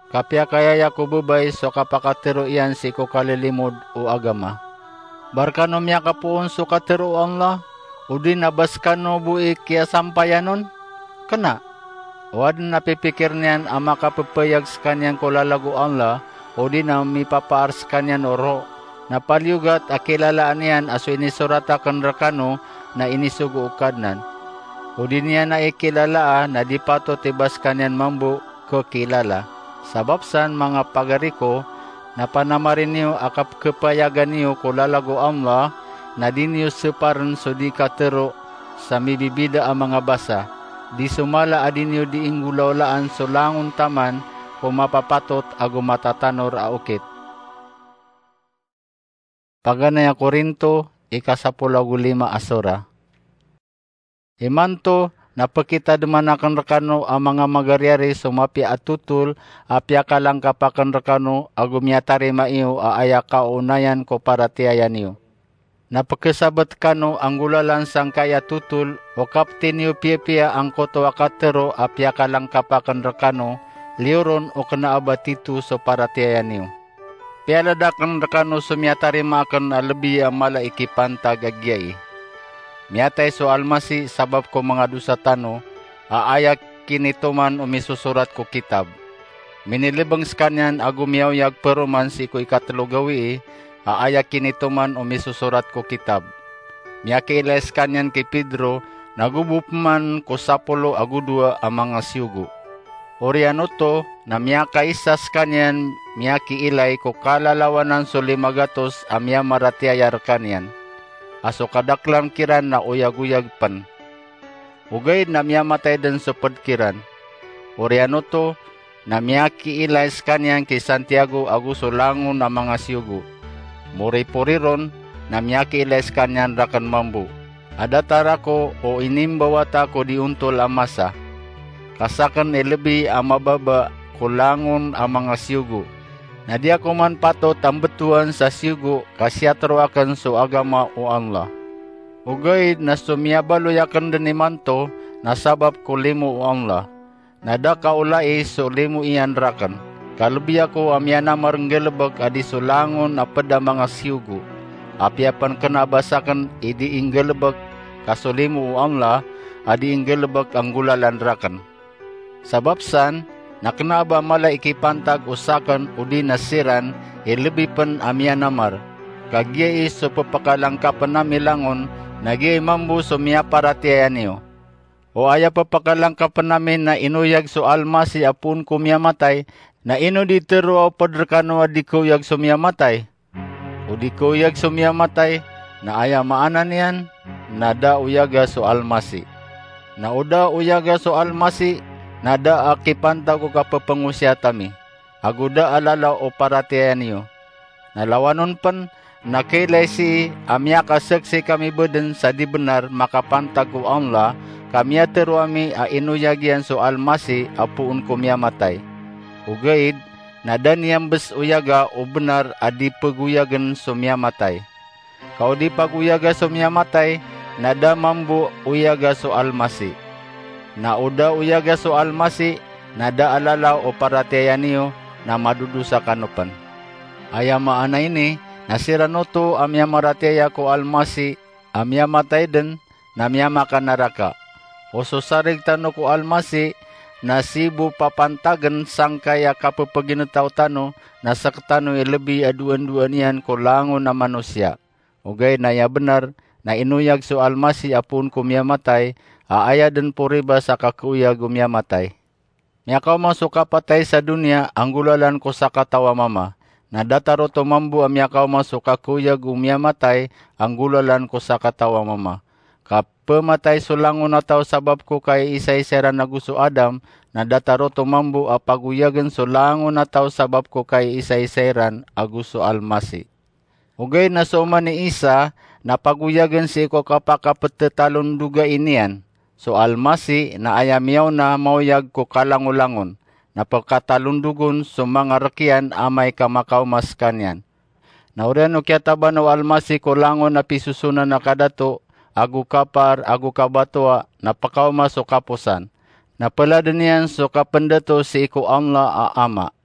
Kapiyakayaya ko babay so kapakatharo iyan sii ko kalilimod o agama. Ba rkano miyakapoon so katharo o Allah, odi na ba skano bo i kiyasampayan on? Kna! O adn a pipikir niyan a makappayag skaniyan ko lalag o Allah, odi na mipapaar skaniyan o roo, na paliyogat a kilalaan iyan a so inisorat akn rkano na inisogo o Kadnan. Odi niyan ai kilalaa na di patot i ba skaniyan mambo khakilala. Sabap san, manga pagari ko, na panamari niyo a kapkhapayagan iyo ko lalag o Allah, na di niyo saparn so di katharo sa mibibida a manga basa. Di so mala a di niyo di inggolawlaan so langon taman ko mapapatot ago matatanor a okit. Paganay a Korinto, ika sapolo ago lima a sora. Imanto na pkitadman akn rkano a manga magaryari so mapiya a totol a piyakalangkap akn rkano ago miyatarima iyo a aya kaonayan ko paratiyaya niyo. Na pkhasabt kano a nggolalan sangkai a totol o kapti niyo piyapiya angkoto a katharo a piyakalangkap akn rkano, liyo ron o kna a ba tito so paratiyaya niyo. Piyalad akn rkano so miyatarima akn a lbi a mala i kipantag a giyai. Miyatay so Almasi sabap ko manga dosa tano, a aya kinitoman o misosorat ko kitab. Minilbng skaniyan ago miyaoyag paroman sii ko ikatlo gawii, a aya kinitoman o misosorat ko kitab. Miyakiilay skaniyan ki Pedro, na go bo pman ko sapolo ago dowa a manga siyogo. Oriyan oto na miyakaisa skaniyan miyakiilay ko kalalawanan so lima gatos a miyamaratiyaya rkaniyan, a so kadaklan kiran na oyagoyag pn. Ogaid na miyamatay dn so pd kiran. Oriyan oto na miyakiilay skaniyan ki Santiago ago so langon a manga siyogo. Moripori ron na miyakiilay skaniyan rakn mambo a datar ako o inimbawata ko di ontol a masa. Ka sakn i lbi a mababa ko langon a manga siyogo, na di ako man patot a mbtowan sa siyogo ka siyatharo akn so agama o Allah. Ogaid na so miyabaloy akn dn imanto na sabap ko limo o Allah. Na da kaolai so limo iyan rakn. Ka lbi ako a miyanamar nggalbk a di so langon a pd a manga siyogo. Apiya pn kna a ba sakn i di inggalbk, ka so limo o Allah a di inggalbk a nggolalan rakn. Sabap san, na kna a ba mala i kipantag o sakn odi na siran i lebi pen a miyanamar. Ka giyai so pepakalangkapen ami langon, na giyai mambo so miyaparatiyaya niyo. O aya pepakalangkapen ami na inoyag so Almasih a poon ko miyamatay, na ino di teroa o ped rekano a di keoyag so miyamatay? O di keoyag so miyamatay, na aya maana niyan na da oyaga so Almasih. Na o da oyaga so Almasih, na da a kipantag o kapepengosiyat ami, ago da a lalaw o paratiyaya niyo. Na lawan on pen, na kailay sii a miyakasaksi kami bo den sa di benar makapantag ko Allah, ka miyatero ami a inoyag iyan so Almasih a poon ko miyamatay. Ogaid na da niyan bes oyaga o benar a di pegoyagen so miyamatay. Ka o di pagoyaga so miyamatay, na da mambo oyaga so Almasih. Na o da oyaga so Almasih, na da a lalaw o paratiyaya niyo, na madodosa kano pen. Aya maana ini na siran oto a miyamaratiyaya ko Almasih a miyamatay den, na miyamakanaraka. O so sarig tano ko Almasih na sii bo papantagen sangkai a kapepeginetaw tano, na sektano i lebi a doan-doan iyan ko langon a manosiya. Ogaid na aya benar na inoyag so Almasih a poon ko miyamatay, a aya den poribas a kakeoyag o miyamatay. Miyakaoma so kapatay sa doniya a nggolalan ko sakataw a mama. Na datar oto mambo a miyakaoma so kakeoyag o miyamatay a nggolalan ko sakataw a mama. Ka pematay so langon a taw sabap ko kaiisaisa iran ago so Adam, na datar oto mambo a pagoyagen so langon a taw sabap ko kaiisaisa iran ago so Almasih. Ogaid na so oman i Isa na pagoyagen sii ko kapakapetetalondogai niyan. So Almasih na aya miyaona maoyag ko kalangolangon, na pekatalondogon so manga rek iyan amay ka makaoma sekaniyan. Na oriyan o kiyataban o Almasih ko langon a pisosonan a kadato, ago kapar, ago kabatoa, na pekaoma so kaposan. Na peladen iyan so kapendato sii ko Allah a Ama.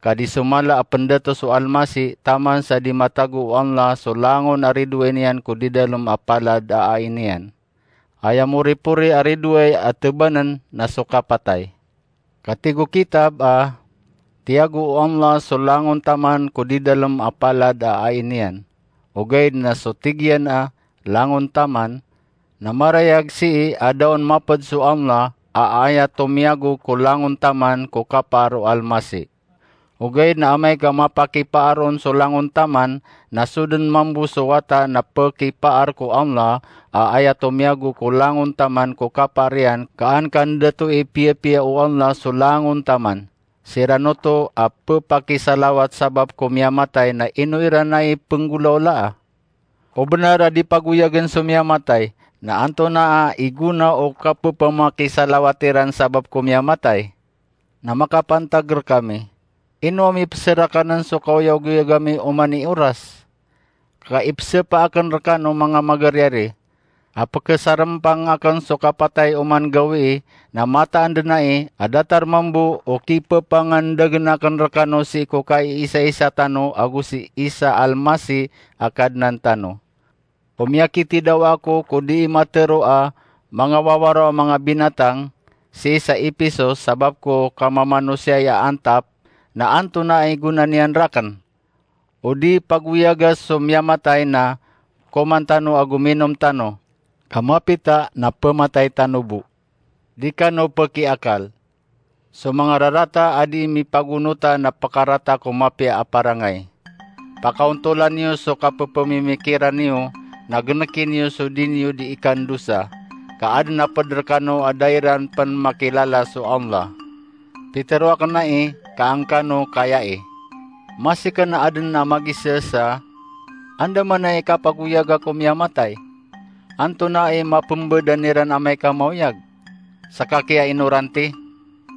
Ka di so mala a pendato so Almasih taman sa di matago o Allah so langon a ridoay niyan ko didalem a palad a ai niyan. Aya moripori a ridoay a tebanen na so kapatay. Ka tig o kitab a, tiyago o Allah so langon taman ko didalem a palad a ai niyan. Ogaid na so tig iyan a langon taman, na marayag sii a da on maped so Allah a aya tomiyago ko langon taman ko kapaar o Almasih. Ogaid na amay ka mapakipaar on so langon taman, na so den mambo so wata na pekipaar ko Allah a aya tomiyago ko langon taman ko kapaar iyan, ka an kandato i piyapiya o Allah so langon taman. Siran oto a pepakisalawat sabap ko miyamatay na ino iran ai penggolaolaa? O benar a di pagoyagen so miyamatay, na antonaa i gona o kapepamakisalawat iran sabap ko miyamatay? Na makapantag rekami, ino ami peserakanen so kaoyagoyag ami oman i oras? Ka ipesapa aken rekano manga magariyari a pekesarempang aken so kapatay oman gawii, na mataan den ai a datar mambo o kipepangandagen aken rekano sii ko kaiisaisa tano ago si Isa Almasih a Kadnan tano. O miyakitidawa ako ko dii matero a manga wawaro a manga binatang, sii sa Episos, sabap ko kamamanosiya a antap, na antonaa i gona niyan raken? O di pagoyaga so miyamatay na koman tano ago minom tano, ka mapita na pematay tano bo. Di kano pekiakal. So manga rarata a di mipagonota na pekarata ko mapiya a parangay. Pakaontolan iyo so kapepemimikiran iyo, na geneki niyo so di niyo di ikandosa, ka aden a ped rekano a da iran pen makilala so Allah. Pitero aken ai ka angkano kayai. Masi ken a aden a magisaasa, andamanaya i kapagoyaga ko miyamatay? Antonaa i mapembadan iran amay ka maoyag? Seka kiyainoranti,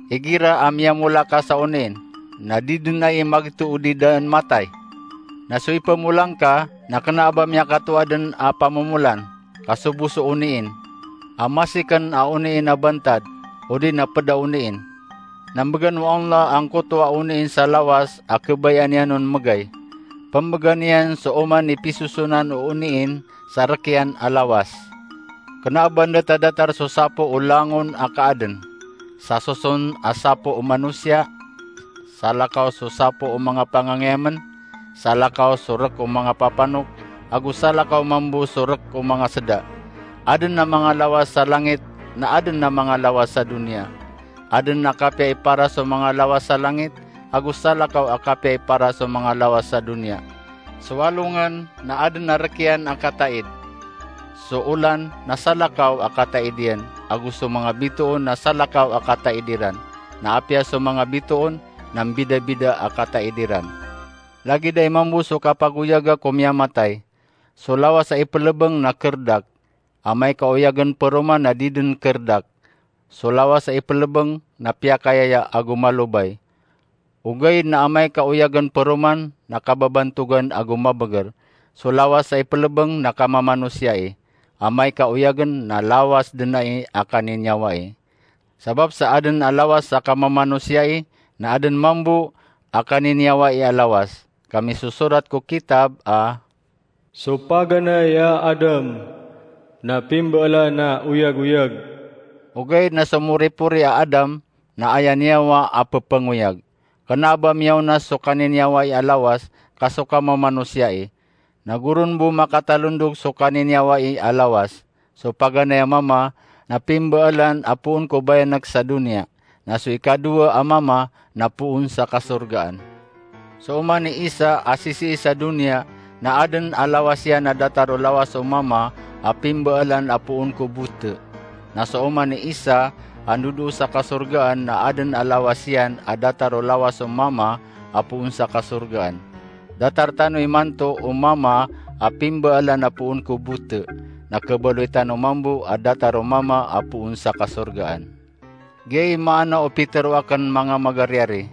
igira a miyamolaka sa oniin, na di den ai magto o di daan matay. Na so ipemola ngka na kena a ba miyakatoa den a pamomolan, ka so bo so oniin, a masi ken a oniin a bantad, odi na ped a oniin. Na mbegan o Allah angkoto a oniin sa lawas a kebayaan iyan on megay. Pembegan iyan so oman i pisosonan o oniin sa rek iyan a lawas. Kena a ba ndatadatar so sapo o langon a kaaden, sa soson a sapo o manosiya, salakaw so sapo o manga pangangiyamen, salakaw so rk o manga papanok, ago salakaw mambo so rk o manga sda. Adn a manga lawas sa langit, na adn a manga lawas sa doniya. Adn a kapiya i paras o manga lawas sa langit, ago salakaw a kapiya i paras o manga lawas sa doniya. So alongan na adn a rk iyan a kataid. So olan na salakaw a kataid iyan, ago so manga bitoon na salakaw a kataid iran. Na apiya so manga bitoon na mbidabida a kataid iran. Lagid a aya mambo so kapagoyaga ko miyamatay. So lawas a iplbng na krdak, amay ka oyagn paroman na di dn krdak. So lawas a iplbng na piyakayaya ago malobay. Ogaid na amay ka oyagn paroman na kababantogan ago mabgr. So lawas a iplbng na kamamanosiya i, amay ka oyagn na lawas dn ai a kaniniyawa i. Sabap sa adn a lawas a kamamanosiya i, na adn mambo a kaniniyawa i a lawas. Ka misosorat ko kitab a, so paganay a Adam na pimbaalan a oyagoyag. Ogaid na so moripori a Adam na aya niyawa a pphangoyag. Kna a ba miyaona so kaniniyawa i a lawas ka so kamamanosiya i. Na goron bo makatalondog so kaniniyawa i a lawas. So paganay a mama na pimbaalan a poon ko bayank sa doniya, na so ikadowa a mama na poon sa kasorgaan. So oman i Isa a sisii sa doniya, na adn a lawas iyan a datar o lawas o mama a pimbaalan a poon ko bot. Na so oman i Isa a ndodoo sa kasorgaan na adn a lawas iyan a datar o lawas o mama a poon sa kasorgaan. Datar tano imanto o mama a pimbaalan a poon ko bot, na khabaloy tano mambo a datar o mama a poon sa kasorgaan. Giyai maana o pitharo akn, manga magariyari.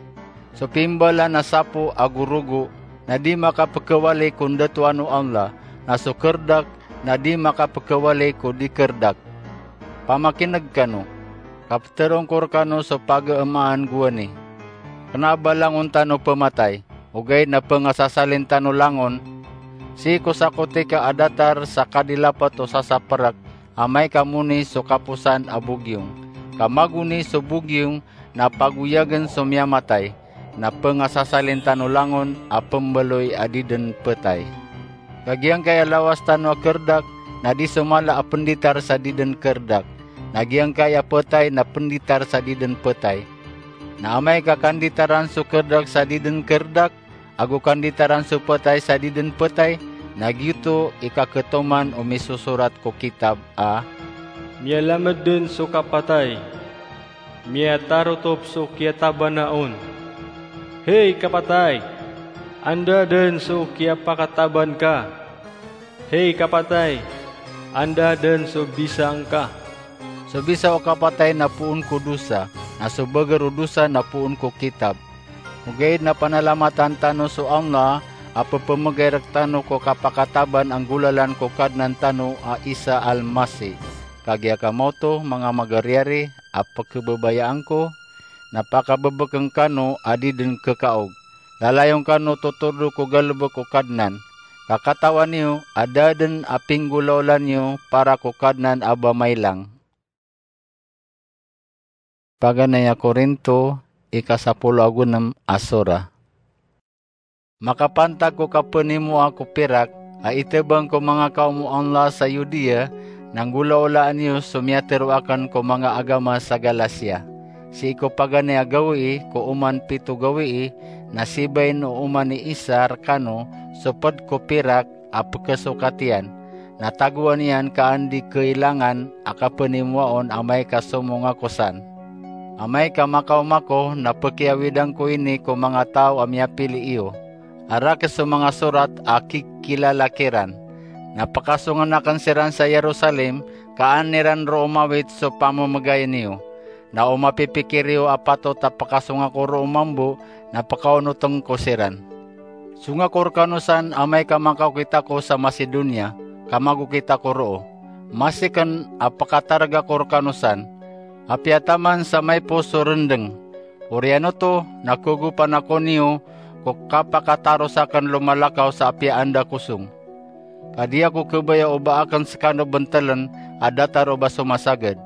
So pimbaalan a sapo ago rogo na di makapkhawali ko ndatoan o Allah, na so krdak na di makapkhawali ko di krdak. Pamakin'g kano, ka ptharoon ko rkano so pagamaan gowani. Kna a ba langon tano pmatay, ogaid na pngasasalin tano langon, sii ko sakotika a datar sa kadilapt o sasaprk, amay ka moni so kaposan a bogiyong. Ka magoni so bogiyong na pagoyagn so miyamatay, na pngasasalin tano langon a pmbaloy a di dn ptay. Ka giyangkai a lawas tano a krdak na di so mala a pnditar sa di dn krdak, na giyangkai a ptay na pnditar sa di dn ptay. Na amay ka kanditaran so krdak sa di dn krdak, ago kanditaran so ptay sa di dn ptay, na giyoto i kakhatoman o misosorat ko kitab a, miyalamd dn so kapatay, miyatarotop so kiyatabana on. Hay kapatay, anda dn so kiyapakataban ka? Hay kapatay, anda dn so bisa ngka? So bisa o kapatay na poon ko dosa, na so bagr o dosa na poon ko kitab. Ogaid na panalamatan tano so Allah a pphamgay rktano ko kapakataban a nggolalan ko Kadnan tano a Isa Al-Masih. Kagiya ka maoto, manga magariyari a pkhababayaan ko, na pakabbkn kano a di dn khaog. Lalayon kano totordo ko galbk o Kadnan. Ka katawan iyo a da dn a pinggolaola niyo para ko Kadnan a ba mailang. Paganay a Korinto, ika sapolo ago nem a sura. Makapantag ko kapanimoa ko pirak a itabang ko manga kaom o Allah sa Yudiya, na nggolaolaan iyo so miyatero aken ko manga agama sa Galacia. Sii ko paganay a gawii ko oman pito gawii, na sibain o oman i Isa rekano so ped ko pirak a pekesokat iyan, na tagoan iyan ka an di kailangan a kapanimoaon amay ka somong ako san. Amay ka makaoma ako, na pekiawidan ko ini ko manga taw a miyapili iyo, a rakhs so manga sorat a kikilala kiran. Na pekasongen aken siran sa Yerusalem, ka an iran roo mawit so pamemegayen iyo. Na o mapipikir iyo a patot a pekasong ako roo mambo, na pekaonoten ko siran. Song ako rekano san amay ka makaokit ako sa Macedonia, ka magokit ako roo. Masiken a pekatareg ako rekano san. Apiya taman sa maipos so rendeng. Oriyan oto, na kegopan ako niyo ko kapakataros aken lomalakaw sa apiya anda ko song. Ka di ako kebaya o ba aken sekano bentelen a datar o ba somasagad.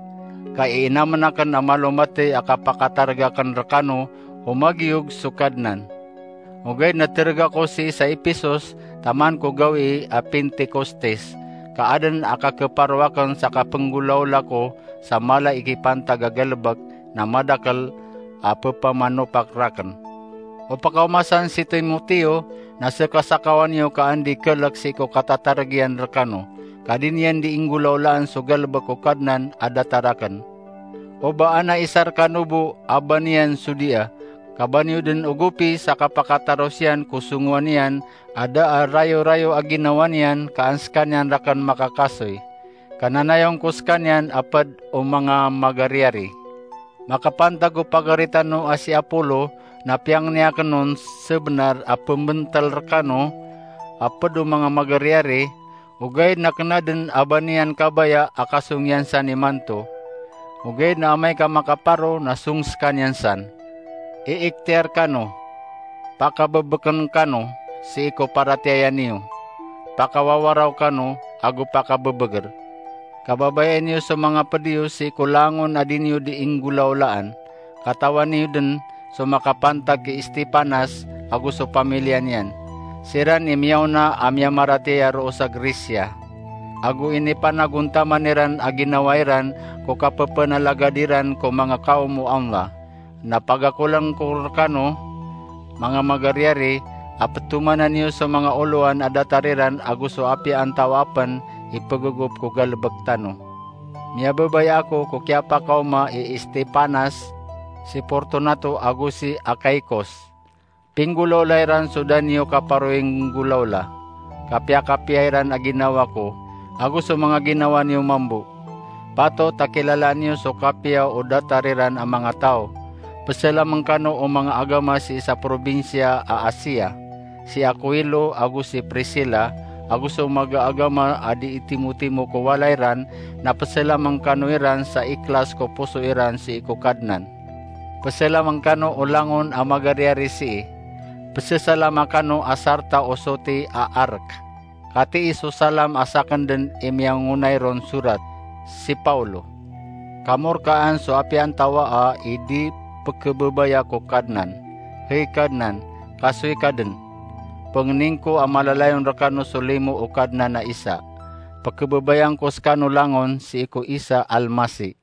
Ka iinamen aken a malo matey a kapakatareg aken rekano o magiyog so Kadnan. Ogaid na tereg ako sii sa Epesos taman ko gawii a Pentekostes, ka aden a kakeparo aken sa kapenggolaola ko sa mala i kipantag a galebek na madakel a pepamanopak raken. O pakaoma san si Timoteo, na sekasakawan iyo ka andi kelek sii ko katatareg iyan rekano, ka di niyan di inggolaolaan so galebek o Kadnan a datar aken. O ba ana isa rekano bo a ba niyan so dia, ka ba niyo den ogopi sa kapakatarosiyan ko songowan iyan a da a rayorayo a ginawa niyan ka an sekaniyan raken makakasoy. Kananayong ko sekaniyan a ped o manga magariyari. Makapantag o pagari tano a si Apolo na piyangni aken on sebenar a pembentel rekano a ped o manga magariyari, ogaid na kena den a ba niyan kabaya a kasong iyan san imanto. Ogaid na amay ka makaparo na song sekaniyan san. Iiktiyar kano, pakabebeken kano sii ko paratiyaya niyo, pakawawaraw kano ago pakabebeger. Kababayai niyo so manga ped iyo sii ko langon a di niyo di inggolaolaan. Katawan iyo den so makapantag ki Estefanas ago so pamiliya niyan. Siran i miyaona a miyamaratiyaya roo sa Grecia. Ago inipanagontaman iran a ginawa iran ko kapepenalagad iran ko manga kaom o Allah. Na pagakolen ko rekano, manga magariyari, a petomanan iyo so manga olowan a datar iran ago so apiya antawaa pen i pegegop ko galebek tano. Miyabebaya ako ko kiyapakaoma i Estefanas, si Fortunato ago si Achaicos. Pinggolaola iran so da niyo kaparoinggolaola. Kapiyakapiya iran a ginawa ko, ago so manga ginawa niyo mambo. Patot a kilalaan iyo so kapiya o datar iran a manga taw. Peselamen kano o manga agama sii sa probinsiya a Asia, si Akuilo ago si Priscila, ago so magaagama a di itimotimo ko walay ran, na peselamen kano iran sa ikhlas ko poso iran sii ko Kadnan. Peselamen kano o langon a magariyari sii. Pesesalama kano a sarta o soti a Ark. Katii so salam a saken den i miyangonay ron sorat, si Paulo. Kamorkaan so apiya antawaa i di pekebebaya ko Kadnan. Hey Kadnan, kasoy ka den. Pengenin ko a malalayon rekano so limo o Kadnan a Isa. Pekebebayaan ko sekano langon sii ko Isa Almasi.